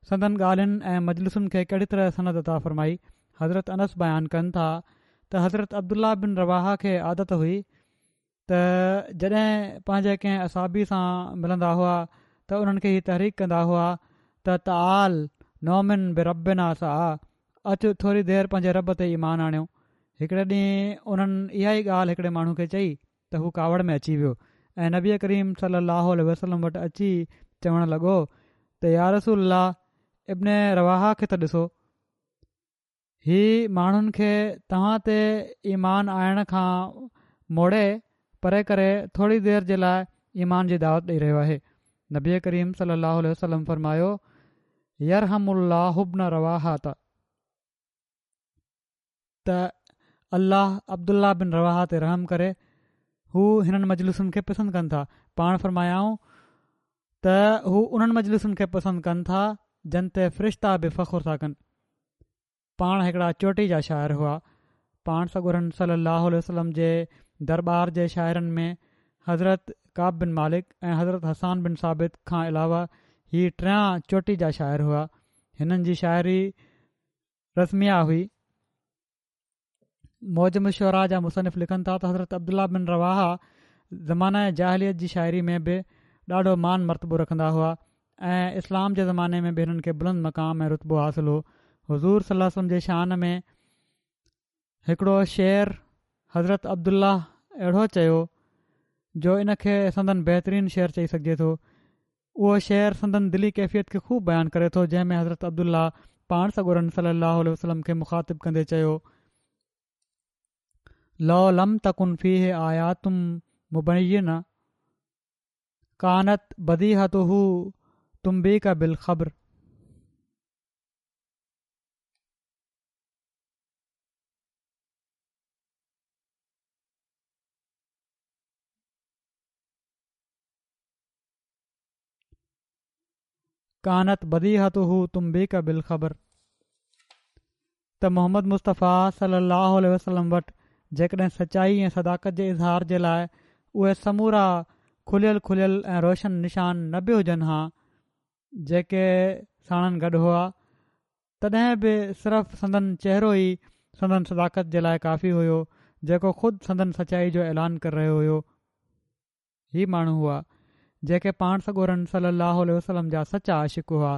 سندن ڳالهين ۽ مجلسن کي ڪهڙي طرح سند عطا فرمائي. حضرت انس بيان ڪن ٿا ته حضرت عبدالله بن رواحه کي عادت هئي ته جڏهن پنهنجي ڪنهن اصحابي سان ملندا هئا ته انهن کي هي تحريڪ ڪندا هئا ته تعال نؤمن بربنا ساعة اچ ٿوري دير پنهنجي رب تي ايمان آڻيو. هڪڙي ڏينهن انهن اها ئي ڳالهه هڪڙي ماڻهو کي چئي ته هو ڪاوڙ ۾ اچي ويو ۽ نبي ڪريم صلي الله عليه وسلم وٽ اچي چوڻ لڳو ته يا رسول الله ابن رواحه کي ته ڏسو هي ماڻهن کي توهان تي ايمان آڻڻ کان موڙي پري ڪري ٿوري دير جي لاء ايمان جي دعوت ڏئي رهيو آهي. نبي ڪريم صلي الله عليه وسلم فرمايو يرحم الله ابن رواحة ته الله عبدالله بن رواحه تي رحم ڪري هو هنن مجلسن کي پسند ڪن ٿا پاڻ فرمايائون ته هو انهن مجلسن کي پسند ڪن ٿا جن تي فرشتا به فخر ٿا ڪن پاڻ هڪڙا چوٽي جا شاعر هئا پاڻ سڳورن صلي الله عليه وسلم جي درٻار جي شاعرن ۾ حضرت ڪعب بن مالڪ ۽ حضرت حسان بن ثابت کان علاوه هي ٽيان چوٽي جا شاعر هئا هنن جي شاعري رزميه هئي. معجم الشعراء جا مصنف لکن ٿا ته حضرت عبدالله بن رواحه زمانه جاهليت جي شاعري ۾ به ڏاڍو مان مرتبو رکندا هئا ۽ اسلام جي زماني ۾ به هنن کي بلند مقام ۽ رتبو حاصل هو. حضور صلي الله عليه وسلم جي شان ۾ هڪڙو شعر حضرت عبدالله اهڙو چيو جو ان کي سندن بهترين شعر چئي سگهجي ٿو. اهو شعر سندن دلي ڪيفيت کي خوب بيان ڪري ٿو جنهن ۾ حضرت عبدالله پاڻ سڳورن صلي الله عليه وسلم کي مخاطب ڪندي چيو، لو لم تڪن فيه آيات مبينة ڪانت بديهته تنبيڪ بالخبر. ڪانت بديهته تنبيڪ بالخبر ته محمد مصطفيٰ صلي الله عليه وسلم وٽ جيڪڏهن سچائي ۽ صداقت جي اظهار جي لاء اهي سمورا کليل کليل ۽ روشن نشان نه به هجن ها جيڪي ساڻن گڏ هئا تڏهن به صرف سندن چهرو ئي سندن صداقت جي لاء ڪافي هيو جيڪو خود سندن سچائي جو اعلان ڪري رهيو هيو. هي ماڻهو هئا، جيڪي پاڻ سڳورن صلّي اللّٰه عليه وسلّم جا سچا عاشق هئا،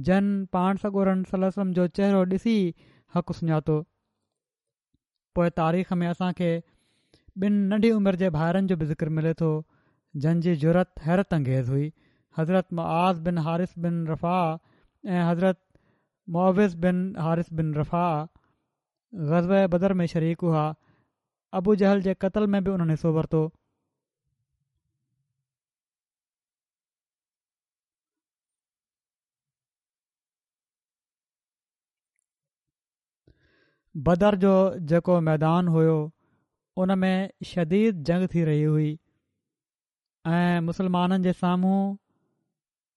جن پاڻ سڳورن صلّي اللّٰه عليه وسلّم جو چهرو ڏسي حق سڃاتو. پوء تاريخ ۾ اسان کي ٻن ننڍي عمر جي ڀائرن جو به ذڪر ملي ٿو، جن جي جرئت حيرت انگيز هئي، حضرت معاذ بن حارث بن رفاعه ۽ حضرت معوذ بن حارث بن رفاعه غزوه بدر ۾ شريڪ هئا، ابوجهل جي قتل ۾ به انهن حصو ورتو. بدر جو جيڪو ميدان هيو ان ۾ شديد جنگ ٿي رهي هئي ۽ مسلمانن جي سامهون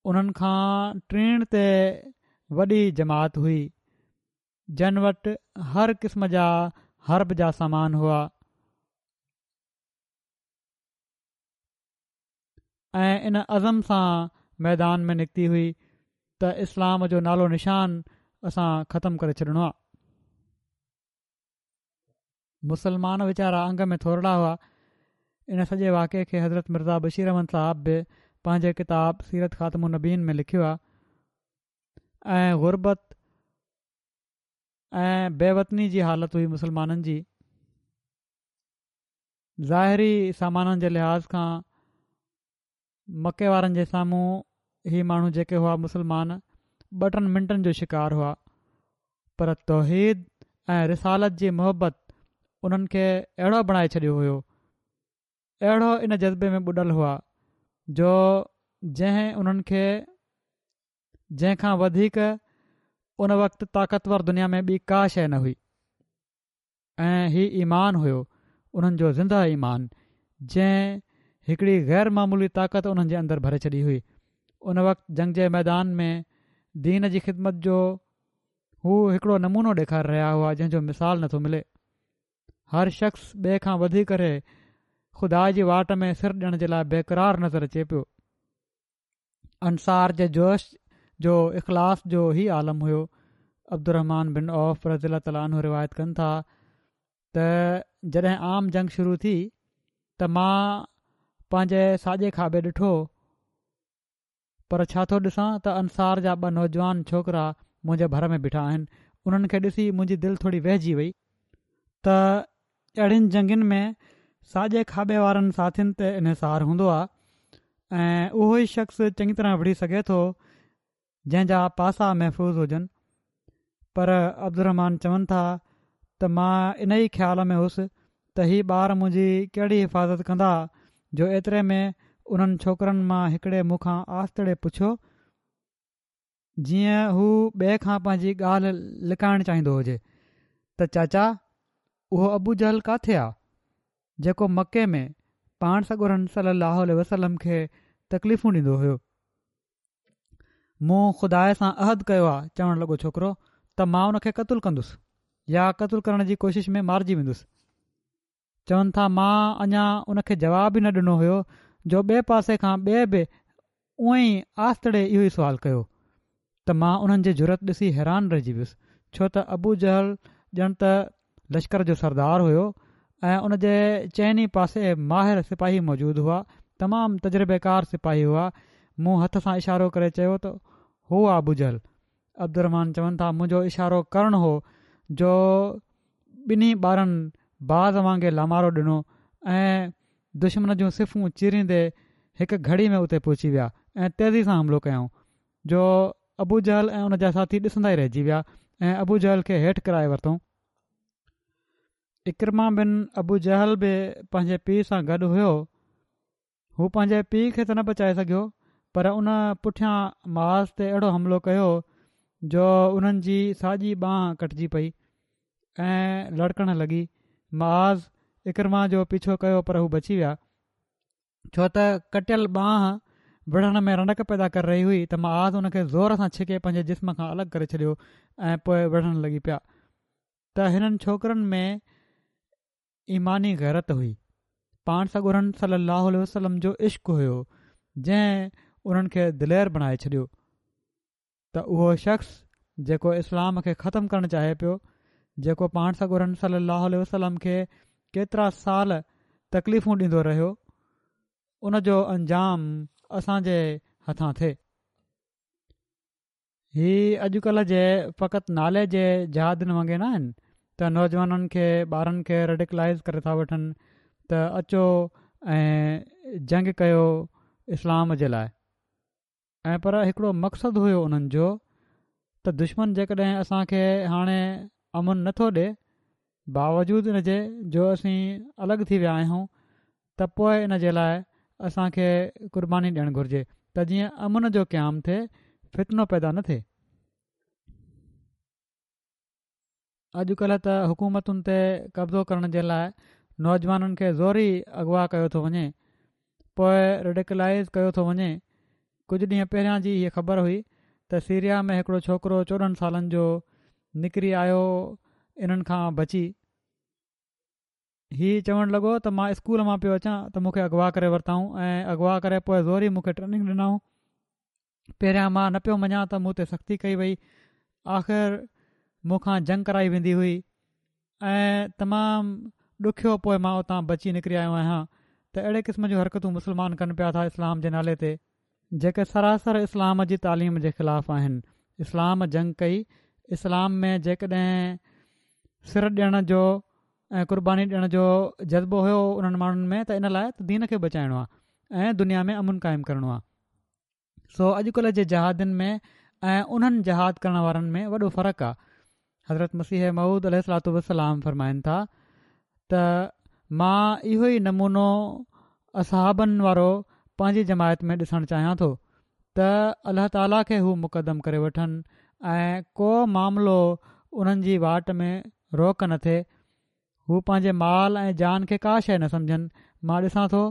انهن کان ٽيڻ تي وڏي جماعت هئي جن وٽ هر قسم جا حرب جا سامان هئا ۽ ان عزم سان ميدان ۾ نڪتي هئي ته اسلام جو نالو نشان اسان ختم ڪري ڇڏڻو آ. مسلمان ويچارا انگ ۾ ٿورڙا هئا. ان سڄي واقعي کي حضرت مرزا بشير احمد صاحب به پنهنجي ڪتاب سيرت خاتم النبيين ۾ لکيو آ ۽ غربت ۽ بي وطني جي حالت هئي مسلمانن جي. ظاهري سامانن جي لحاظ کان مڪي وارن جي سامهون هي ماڻهو جيڪي هئا مسلمان ٻه ٽن منٽن جو شڪار هئا، پر توحيد ۽ رسالت جي محبت انهن کي اهڙو بڻائي ڇڏيو هيو، اهڙو ان جذبي ۾ ٻڏل هئا جو جنهن انهن کي جنهن کان وڌيڪ ان وقت طاقتور دنيا ۾ ٻي ڪا شيء نه هئي. ۽ هي ايمان هيو، انهن جو زنده ايمان، جنهن هڪڙي غير معمولي طاقت انهن جي اندر ڀري ڇڏي هئي. ان وقت جنگ جي ميدان ۾ دين جي خدمت جو هو هڪڙو نمونو ڏيکاري رهيا هئا جنهن جو مثال نٿو ملي. هر شخص ٻئي کان وڌي ڪري خدا جي واٽ ۾ سر ڏيڻ جي لاء بيقرار نظر اچي پيو. انصار جي جوش جو اخلاص جو هي عالم هيو. عبدالرحمان بن عوف رضي الله تعالٰي عنه روايت ڪن ٿا ته جڏهن عام جنگ شروع ٿي ته مان پنهنجي ساڄي کاٻي ڏٺو پر ڇا ٿو ڏسان ته انصار جا ٻه نوجوان ڇوڪرا منهنجي ڀر ۾ بيٺا آهن. انهن کي ڏسي منهنجي دل ٿوري وهجي وئي ته اهڙين جنگين ۾ ساڄي کاٻي وارن ساٿين تي انحصار هوندو آهي ۽ اهو ئي شخص چڱي طرح وڙهي سگهي ٿو جنهن جا پاسا محفوظ هجن. پر عبدالرحمان چون ٿا ته مان ان ئي خيال ۾ هوس ته هي ٻار منهنجي ڪهڙي حفاظت ڪندا جو ايتري ۾ انهن ڇوڪرن مان هڪڙي مون کان آستڙي پڇيو جيئن هو ٻئي کان پنهنجي ڳالهه لڪائڻ چاهيندو هجي ته چاچا اهو ابو جهل ڪاٿي آ جيڪو مڪي ۾ پاڻ سڳورن صلي الله عليه وسلم کي تڪليفون ڏيندو هيو. مون خدا سان عهد ڪيو آ، چوڻ لڳو ڇوڪرو، ته مان ان کي قتل ڪندس يا قتل ڪرڻ جي ڪوشش ۾ مارجي ويندس. چون ٿا مان اڃا ان کي جواب ئي نه ڏنو هيو جو ٻئي پاسي کان ٻئي به اونئين ئي آستڙي اهو ئي سوال ڪيو ته مان انهن جي جرئت ڏسي حيران رهجي ويس ڇو ته ابو جهل ڄڻ ته لشڪر جو سردار هيو ۽ ان جي چئني پاسي ماهر سپاهي موجود هئا، تمام تجربيڪار سپاهي هئا. مون هٿ سان اشارو ڪري چيو ته هو آ ابو جهل. عبدالرحمان چون ٿا منهنجو اشارو ڪرڻ هو جو ٻنهي ٻارن باز وانگي لامارو ڏنو ۽ دشمن جون صفون چيريندي هڪ گهڙي ۾ اتي پهچي ويا ۽ تيزي سان حملو ڪيائون جو ابو جهل ۽ ان جا ساٿي ڏسندا ئي رهجي ويا ۽ ابو جهل کي هيٺ ڪرائي ورتائون. عڪرمه بن ابو جهل به پنهنجي پيء سان گڏ هيو. هو پنهنجي پيء کي ته نه بچائي سگهيو پر ان پٺيان معاذ تي اهڙو حملو ڪيو جو انهن جي ساڄي ٻانهن ڪٽجي پئي ۽ لڙڪڻ لڳي. معاذ عڪرمه جو پيڇو ڪيو پر هو بچي ويا ڇو ته ڪٽيل ٻانهن وڙهڻ ۾ رنڊڪ پيدا ڪري رهي هئي ته معاذ ان کي زور سان ڇڪي پنهنجي جسم کان الڳ ڪري ڇڏيو ۽ پوء وڙهڻ لڳي پيا ته هنن ڇوڪرن ۾ ايماني غيرت هئي. پاڻ سڳورن صلي الله عليه وسلم جو عشق هيو جنهن انهن کي دلير بڻائي ڇڏيو ته اهو شخص جيڪو اسلام کي ختم ڪرڻ چاهي پيو، جيڪو پاڻ سڳورن صلي الله عليه وسلم کي ڪيترا سال تڪليفون ڏيندو رهيو، ان جو انجام اسان جي هٿان ٿئي. هي اڄڪلهه جي فقط نالي جي جهادين وانگي نه آهن ته نوجوانن کي ٻارن کي ريڊيڪلائيز ڪري ٿا وٺن ته اچو ۽ جنگ ڪيو اسلام جي لاء ۽ پر هڪڙو مقصد هيو انهن جو ته دشمن جيڪڏهن اسان کي هاڻي امن نٿو ڏي باوجود ان جي جو اسين الڳ ٿي ويا آهيون ته پوء ان جي لاء اسان کي قرباني ڏيڻ گهرجي ته جيئن امن جو قيام ٿئي، فتنو پيدا نه ٿئي. اڄڪلهه ته حڪومتن تي قبضو ڪرڻ جي لاء نوجوانن کي زوري اغوا ڪيو ٿو وڃي، پوء ريڊيڪلائيز ڪيو ٿو وڃي. ڪجهه ڏينهن پهريان جي هيء خبر هئي ته سيريا ۾ هڪڙو ڇوڪرو چوڏهن سالن جو نڪري آيو انهن کان بچي. هي چوڻ لڳو ته مان اسڪول مان پيو اچان ته مون کي اغوا ڪري ورتائون ۽ اغوا ڪري پوء زوري مون کي ٽريننگ ڏنائون. پهريان مان نه پيو مڃان ته مون تي سختي ڪئي وئي. آخر مون کان جنگ ڪرائي ويندي هئي ۽ تمام ڏکيو پوء مان اتان بچي نڪري آيو آهيان ته اهڙي قسم جون حرڪتون مسلمان ڪن پيا ٿا اسلام جي نالي تي. جيڪي سراسر اسلام جي تعليم جي خلاف آهن. اسلام جنگ ڪئي، اسلام ۾ جيڪڏهن سر ڏيڻ جو ۽ قرباني ڏيڻ جو جذبو هيو انهن ماڻهن ۾ ته ان لاء ته دين کي بچائڻو آهي ۽ دنيا ۾ امن قائم ڪرڻو آهي. سو اڄڪلهه جي جهادين ۾ ۽ انهن جهاد ڪرڻ وارن ۾ وڏو فرق آهي. حضرت مسيح موعود عليه الصلوة والسلام فرمائن ٿا ته مان اهو ئي نمونو اصحابن وارو پنهنجي جماعت ۾ ڏسڻ چاهيان ٿو ته الله تعاليٰ کي هو مقدم ڪري وٺن ۽ ڪو معاملو انهن جي واٽ ۾ روڪ نه ٿئي. هو پنهنجي مال ۽ جان کي ڪا شيء نه سمجهن. مان ڏسان ٿو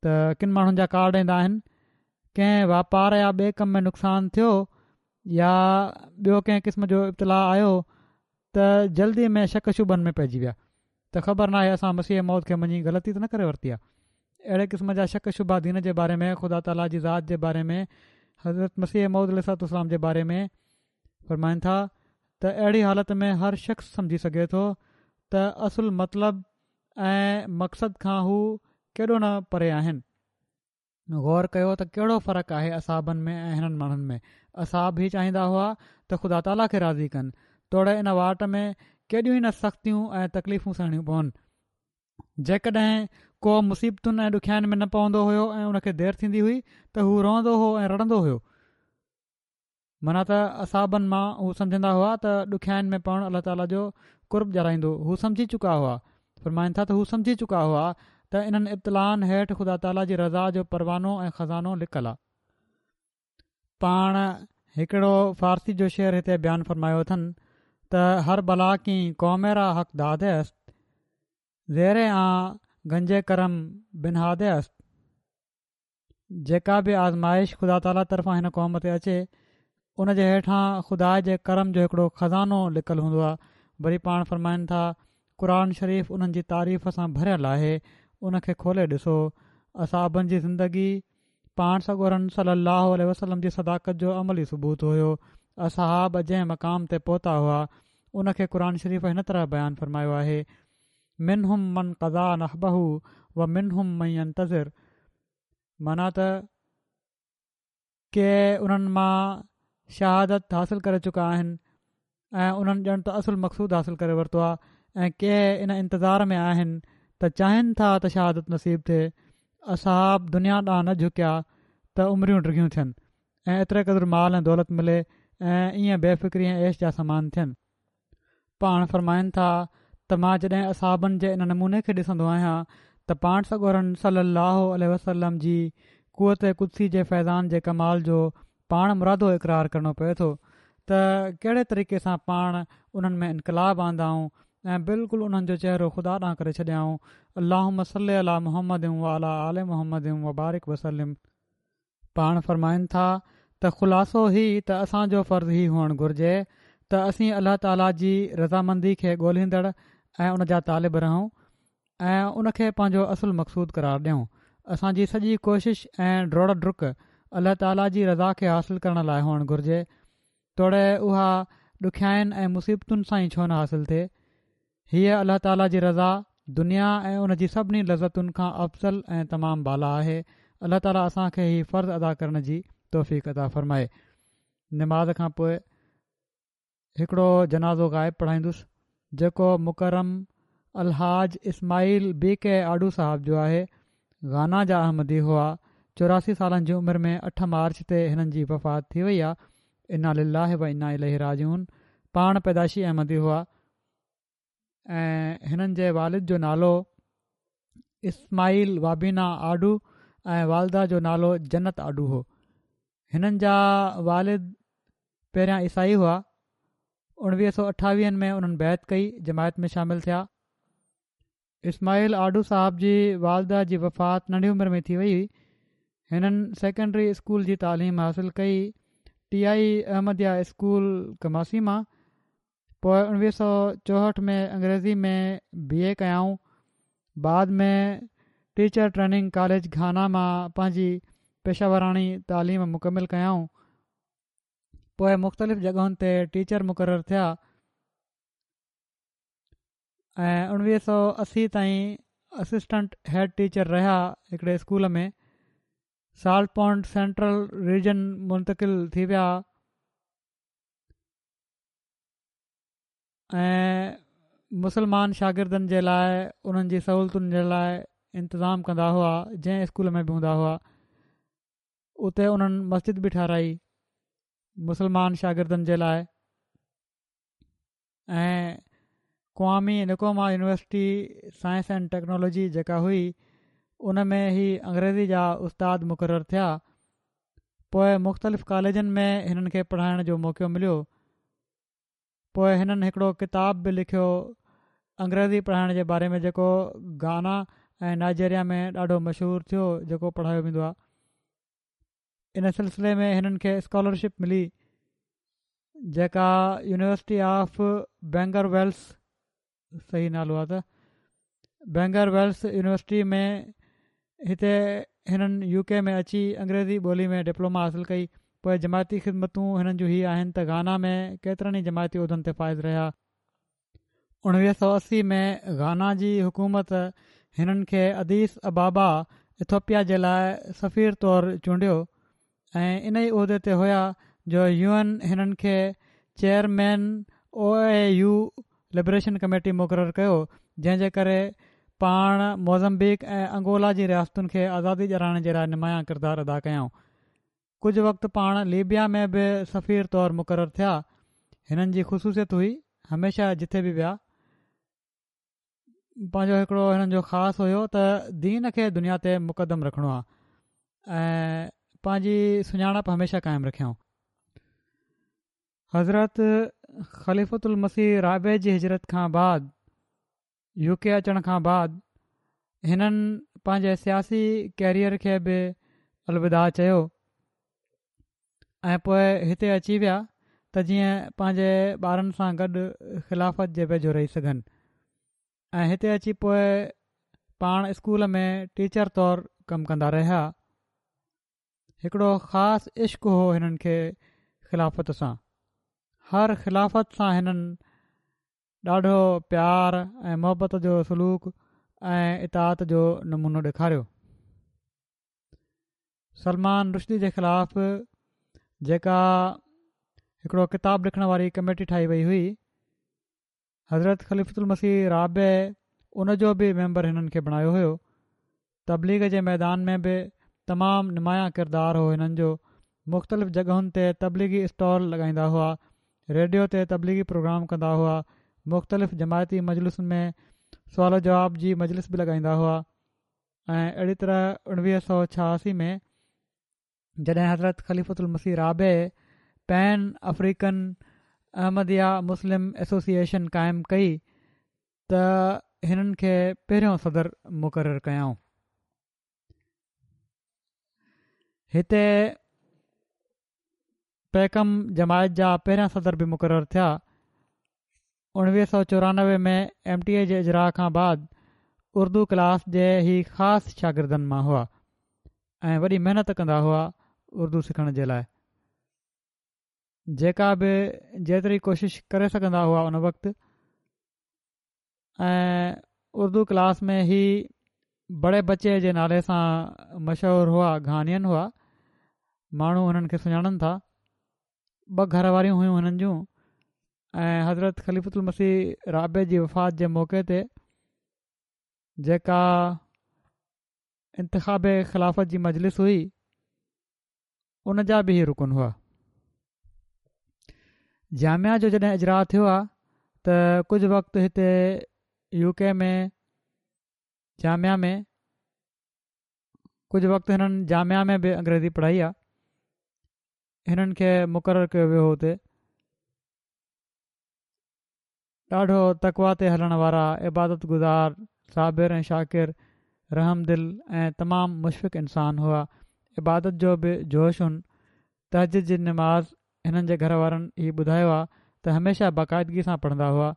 ته ڪن ماڻهن جا ڪارڊ ايندا آهن، ڪنهن واپار يا ٻئي ڪم ۾ نقصان ٿيو يا ٻيو ڪنهن قسم جو ابتلاء آيو ته جلدي ۾ شڪ شبهن ۾ پئجي ويا ته خبر ناهي اسان مسيح موعود کي مڃي غلطي ته نه ڪري ورتي آهي. اهڙي قسم جا شڪ شبها دين جي باري ۾ خدا تعاليٰ جي ذات جي باري ۾ حضرت مسيح موعود عليه الصلوة والسلام جي باري ۾ فرمائن ٿا ته اهڙي حالت ۾ هر شخص سمجهي سگهي ٿو ته اصل مطلب ۽ مقصد کان هو ڪيڏو نه پري آهن. غور ڪيو ته ڪهڙو فرق آهي اصحابن ۾ ۽ هنن ماڻهن ۾. اصحاب هي چاهيندا هئا ته خدا تعاليٰ کي راضي ڪن، توڙي ان واٽ ۾ ڪيڏيون ئي نه سختيون ۽ تڪليفون سهڻيون پون. جيڪڏهن ڪو مصيبتن ۽ ڏکيائين ۾ نه پوندو هيو ۽ ان کي دير ٿيندي هئي ته هو روئندو هو ۽ رڙندو هيو. معنيٰ ته اصحابن مان هو سمجهندا هئا ته ڏکيائين ۾ پوڻ الله تعاليٰ جو قرب ڏيارائيندو. هو سمجهي چڪا هئا. فرمائن ٿا ته هو سمجهي چڪا هئا ته انهن ابتلائن هيٺ خدا تعاليٰ جي رضا جو پروانو ۽ خزانو لڪل آ. پاڻ هڪڙو فارسي جو شعر هتي بيان فرمايو اٿن ته هر بلا ڪين قوم را حق داده است زير آن گنج ڪرم بنهاده است. جيڪا به آزمائش خدا تعاليٰ طرفان هن قوم تي اچي ان جي هيٺان خدا جي ڪرم جو هڪڙو خزانو لڪل هوندو آهي. وري پاڻ فرمائن ٿا قرآن شريف انهن جي تعريف سان ڀريل آهي ان کي کولي ڏسو. اصحابن جي زندگي پاڻ سڳورن صلي الله عليه وسلم جي صداقت جو عملي ثبوت هيو. اصحاب جنهن مقام تي پهتا هئا ان کي قرآن شريف هن طرح بيان فرمايو آهي منهم من قضيٰ نحبه ومنهم من ينتظر معنيٰ ته ڪي انهن مان شهادت حاصل ڪري چڪا آهن ۽ انهن ڄڻ ته اصل مقصود حاصل ڪري ورتو آهي ۽ ڪي ان انتظار ۾ آهن ته چاهين ٿا ته شهادت نصيب ٿئي. اصحاب دنيا ڏانهن نه جهڪيا ته عمريون ڊگهيون ٿين ۽ ايتري قدر مال ۽ دولت ملي ۽ ائين بي فڪري ۽ عيش جا سامان ٿين. پاڻ فرمائن ٿا ته مان جڏهن اصحابن جي ان نموني کي ڏسندو آهيان ته پاڻ سڳورن صلي الله عليه وسلم جي قوت قدسي جي فيضان جي ڪمال جو پاڻ مرادو اقرار ڪرڻو پئي ٿو ته ڪهڙي طريقي سان پاڻ انهن ۾ انقلاب آندائون ۽ بلڪل انهن جو چهرو خدا ڏانهن ڪري ڇڏيائون. اللهم صل علي محمد وعلي آل محمد وبارڪ وسلم. پاڻ فرمائن ٿا ته خلاصو هي ته اسان جو فرض هي هئڻ گهرجي ته اسين الله تعاليٰ جي رضامندي کي ڳولهيندڙ ۽ ان جا طالب رهون ۽ ان کي پنهنجو اصل مقصود قرار ڏيون. اسان جي سڄي ڪوشش ۽ ڊوڙ ڊڪ الله تعاليٰ جي رضا کي حاصل ڪرڻ لاء هئڻ گهرجي، توڙي اها ڏکيائين ۽ مصيبتن سان ئي ڇو نه حاصل ٿئي. هيء الله تعاليٰ جي رضا دنيا ۽ ان جي سڀني لذتن کان افضل ۽ تمام بالا آهي. الله تعاليٰ اسان کي هي فرض ادا ڪرڻ جي توفيق عطا فرمائي. نماز کان پوء هڪڙو جنازو غائب پڙهائيندس جيڪو مڪرم الحاج اسماعيل بي ڪي آڊو صاحب جو آهي. گانا جا احمدي هئا. چوراسي سالن جي عمر ۾ اٺ مارچ تي هنن جي وفات ٿي وئي آهي. انا لله و انا اليه راجعون. پاڻ پيدائشي احمدي هئا ۽ هنن جي والد جو نالو اسماعيل وابينا آڊو ۽ والده جو نالو جنت آڊو هو. هنن جا والد پهريان عيسائي هئا. اڻويهه سؤ اٺاويهن ۾ انهن بيعت ڪئي، جماعت ۾ شامل ٿيا. اسماعيل آڊو صاحب جي والده جي وفات ننڍي عمر ۾ ٿي وئي هئي. هنن سيڪنڊري اسڪول جي تعليم حاصل ڪئي ٽي آئي احمديه اسڪول ڪماسي مان. پوء اڻويهه سؤ چوهٺ ۾ انگريزي ۾ بي اي ڪيائون. بعد ۾ ٽيچر ٽريننگ ڪاليج گهانا مان پنهنجي پيشاوراڻي تعليم مڪمل ڪيائون. پوء مختلف جڳهن تي ٽيچر مقرر ٿيا ۽ اڻويهه سؤ اسي تائين اسسٽنٽ هيڊ ٽيچر رهيا هڪڙي school ۾ salt pond central region منتقل ٿي ويا. ۽ مسلمان شاگردن جي لاءِ انهن جي سهولتن جي لاءِ انتظام ڪندا هئا. جنهن اسڪول ۾ به هوندا هئا اتي انهن مسجد به ٺهرائي مسلمان شاگردن جي لاءِ. ۽ ڪوامي نڪروما يونيورسٽي سائنس اينڊ ٽيڪنالاجي جيڪا هئي ان ۾ هي انگريزي جا استاد مقرر ٿيا. پوءِ مختلف ڪاليجن ۾ هنن کي پڙهائڻ جو موقعو مليو. پوءِ هنن هڪڙو ڪتاب به لکيو انگريزي پڙهائڻ جي باري ۾ جيڪو گانا ۽ نائجيريا ۾ ڏاڍو مشهور ٿيو، جيڪو پڙهايو ويندو آهي. ان سلسلي ۾ هنن کي اسڪالرشپ ملي جيڪا يونيورسٽي آف بينگر ويلس، صحيح نالو آهي ته بينگر ويلس يونيورسٽي ۾ هتي هنن يو ڪي ۾ اچي انگريزي ٻولي ۾ ڊپلوما حاصل ڪئي. پوءِ جماعتي خدمتون هنن جون هي آهن ته گانا ۾ ڪيترن ئي جماعتي عهدن تي فائز رهيا. اڻويهه سؤ اسي ۾ گانا جي حڪومت هنن کي اديس ابابا ايٿوپيا جي لاءِ سفير طور چونڊيو ۽ ان ئي عهدي تي هئا جو يو اين هنن کي chairman O A U liberation committee مقرر ڪيو، جنهن جي ڪري پاڻ موزمبيق ۽ انگولا جي رياستن کي آزادي ڏيارڻ جي لاءِ نمايان ڪردار ادا ڪيائون. ڪجهه وقت پاڻ ليبيا ۾ به سفير طور مقرر ٿيا. هنن جي خصوصيت هئي هميشه جٿي به ويا پنهنجو هڪڙو هنن جو خاص هيو ته دين کي دنيا تي مقدم رکڻو آهي ۽ پنهنجي سڃاڻپ هميشه قائم رکيائون. حضرت خليفة المسيح رابع جي هجرت کان بعد يو ڪي اچڻ کان بعد هنن پنهنجي سياسي ڪيريئر کي به الوداع چيو ۽ پوءِ هتي اچي ويا ته جيئن پنهنجي ٻارن سان گڏ خلافت جي ويجهو رهي سگهن. ۽ هتي اچي پوءِ پاڻ اسڪول ۾ ٽيچر طور ڪم ڪندا رهيا. هڪڙو خاص عشق هو هنن کي خلافت سان. هر خلافت سان هنن ڏاڍو پيار ۽ محبت جو سلوڪ ۽ اطاعت جو نمونو ڏيکاريو. سلمان رشدي جي خلاف جيڪا هڪڙو ڪتاب لکڻ واري ڪميٽي ٺاهي وئي هئي، حضرت خليفة المسيح رابع ان جو به ميمبر هنن کي بڻايو هيو. تبليغ جي ميدان ۾ به تمام نمايان ڪردار هو هنن جو. مختلف جڳهن تي تبليغي اسٽال لڳائيندا هئا، ريڊيو تي تبليغي پروگرام ڪندا هئا، مختلف جماعتي مجلسن ۾ سوال جواب جي مجلس به لڳائيندا هئا. ۽ اهڙي طرح اڻويهه سؤ ڇهاسي ۾ جڏهن حضرت خليفة المسيح رابع Pan African Ahmadiyya Muslim Association قائم ڪئي ته هنن کي پهريون صدر مقرر ڪيائون. هتي پيڪم جماعت جا پهريان صدر به مقرر ٿيا. اڻويهه سؤ چورانوي ۾ ايم ٽي اي جي اجراء کان بعد اردو ڪلاس جي هي خاص شاگردن مان هئا ۽ وڏي محنت ڪندا هئا اردو سکڻ جي لاءِ. جيڪا به جيتري ڪوشش ڪري سگهندا هئا ان وقت. ۽ اردو ڪلاس ۾ هي بڙي بچي جي نالي سان مشهور هئا. گهانين هئا، ماڻهو هنن کي سڃاڻن ٿا. ٻه گهر واريون هيون هنن جون. ۽ حضرت خليفة المسيح رابع جي وفات جي موقعي تي جيڪا انتخاب خلافت جي مجلس هئي ان جا به هي رڪن هئا. جامعه جو جڏهن اجراء ٿيو آهي ته ڪجهه وقت هتي يو ڪي ۾ جامعه ۾ ڪجهه وقت هنن جامعه ۾ به انگريزي پڙهائي آهي. هنن کي مقرر ڪيو ويو هو اتي. ڏاڍو تقويٰ تي هلڻ وارا، عبادت گذار، صابر ۽ شاڪر، رحم دل ۽ تمام مشفق انسان هئا. عبادت جو به جوش هن. تهجد جي نماز هنن جي گهر وارن هي ٻڌايو آهي ته هميشه باقاعدگي سان پڙهندا هئا.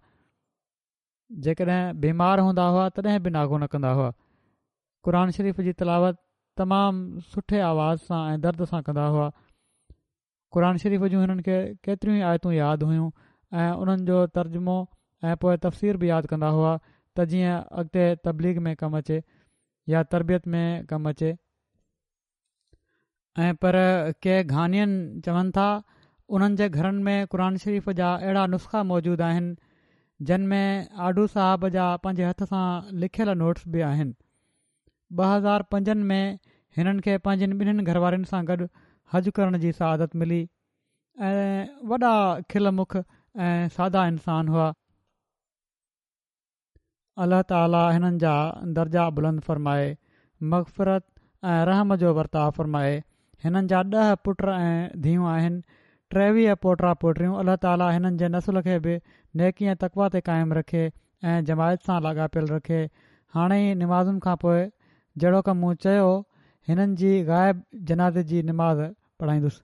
جيڪڏهن بيمار هوندا هئا تڏهن به ناغو نه ڪندا هئا. قرآن شريف جي تلاوت تمام سٺي آواز سان ۽ درد سان ڪندا هئا. قرآن شريف جون هنن کي ڪيتريون ئي آيتون ياد هيون ۽ انهن جو ترجمو ۽ پوءِ تفسير به ياد ڪندا هئا ته جيئن اڳتي تبليغ ۾ ڪم اچي يا تربيت ۾ ڪم اچي. ۽ پر ڪي گهانين چون ٿا انهن جي گهرن ۾ قرآن شريف جا اهڙا نسخا موجود آهن جن ۾ آڍو صاحب جا پنهنجي هٿ سان لکيل نوٽس به آهن. ٻه هزار پنجن ۾ هنن کي پنهنجن ٻنهين گهروارين سان گڏ حج ڪرڻ جي سعادت ملي ۽ وڏا کل مک ۽ سادا انسان هئا. الله تعالي هنن جا درجا بلند فرمائي، مغفرت ۽ رحم جو ورتاءُ فرمائي. هنن جا ڏهه پٽ ۽ ڌيئون آهن، ٽيويهه پوٽا پوٽيون. الله تعالي هنن جي نسل کي به نيڪي ۽ تقويٰ تي قائم رکي ۽ جماعت سان لاڳاپيل رکي. هاڻي ئي نمازن کان پوءِ جهڙوڪ مون چيو هنن جي غائب جنازي جي نماز پڙهائيندس.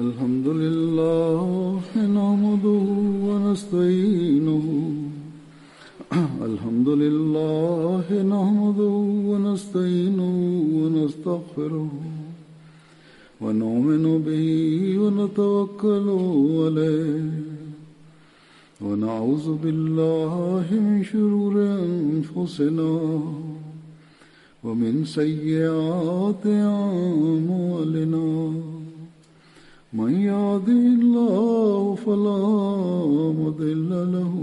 الحمد لله نحمده ونستعينه الحمد لله نحمده ونستعينه ونستغفره ونؤمن به ونتوكل عليه ونعوذ بالله من شرور أنفسنا ومن سيئات أعمالنا من يهده الله فلا مضل له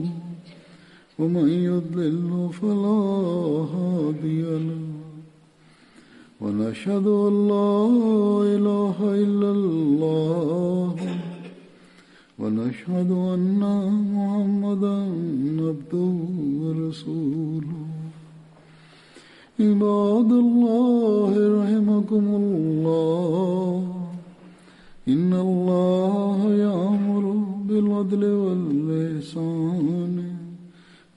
ومن يضلل فلا هادي له ونشهد أن لا إله إلا الله ونشهد أن محمدا عبده ورسوله. عباد الله رحمكم الله، إن الله يأمر بالعدل والإحسان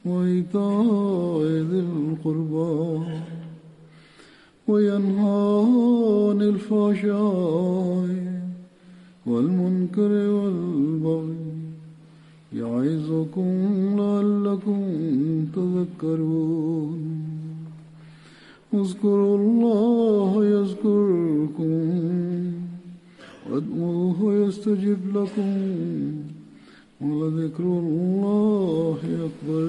وإيتاء ذي القربى وينهى عن الفحشاء والمنكر والبغي يعظكم لعلكم تذكرون. اذكروا الله يذكركم وادعوه يستجب لكم ولذكر الله أكبر.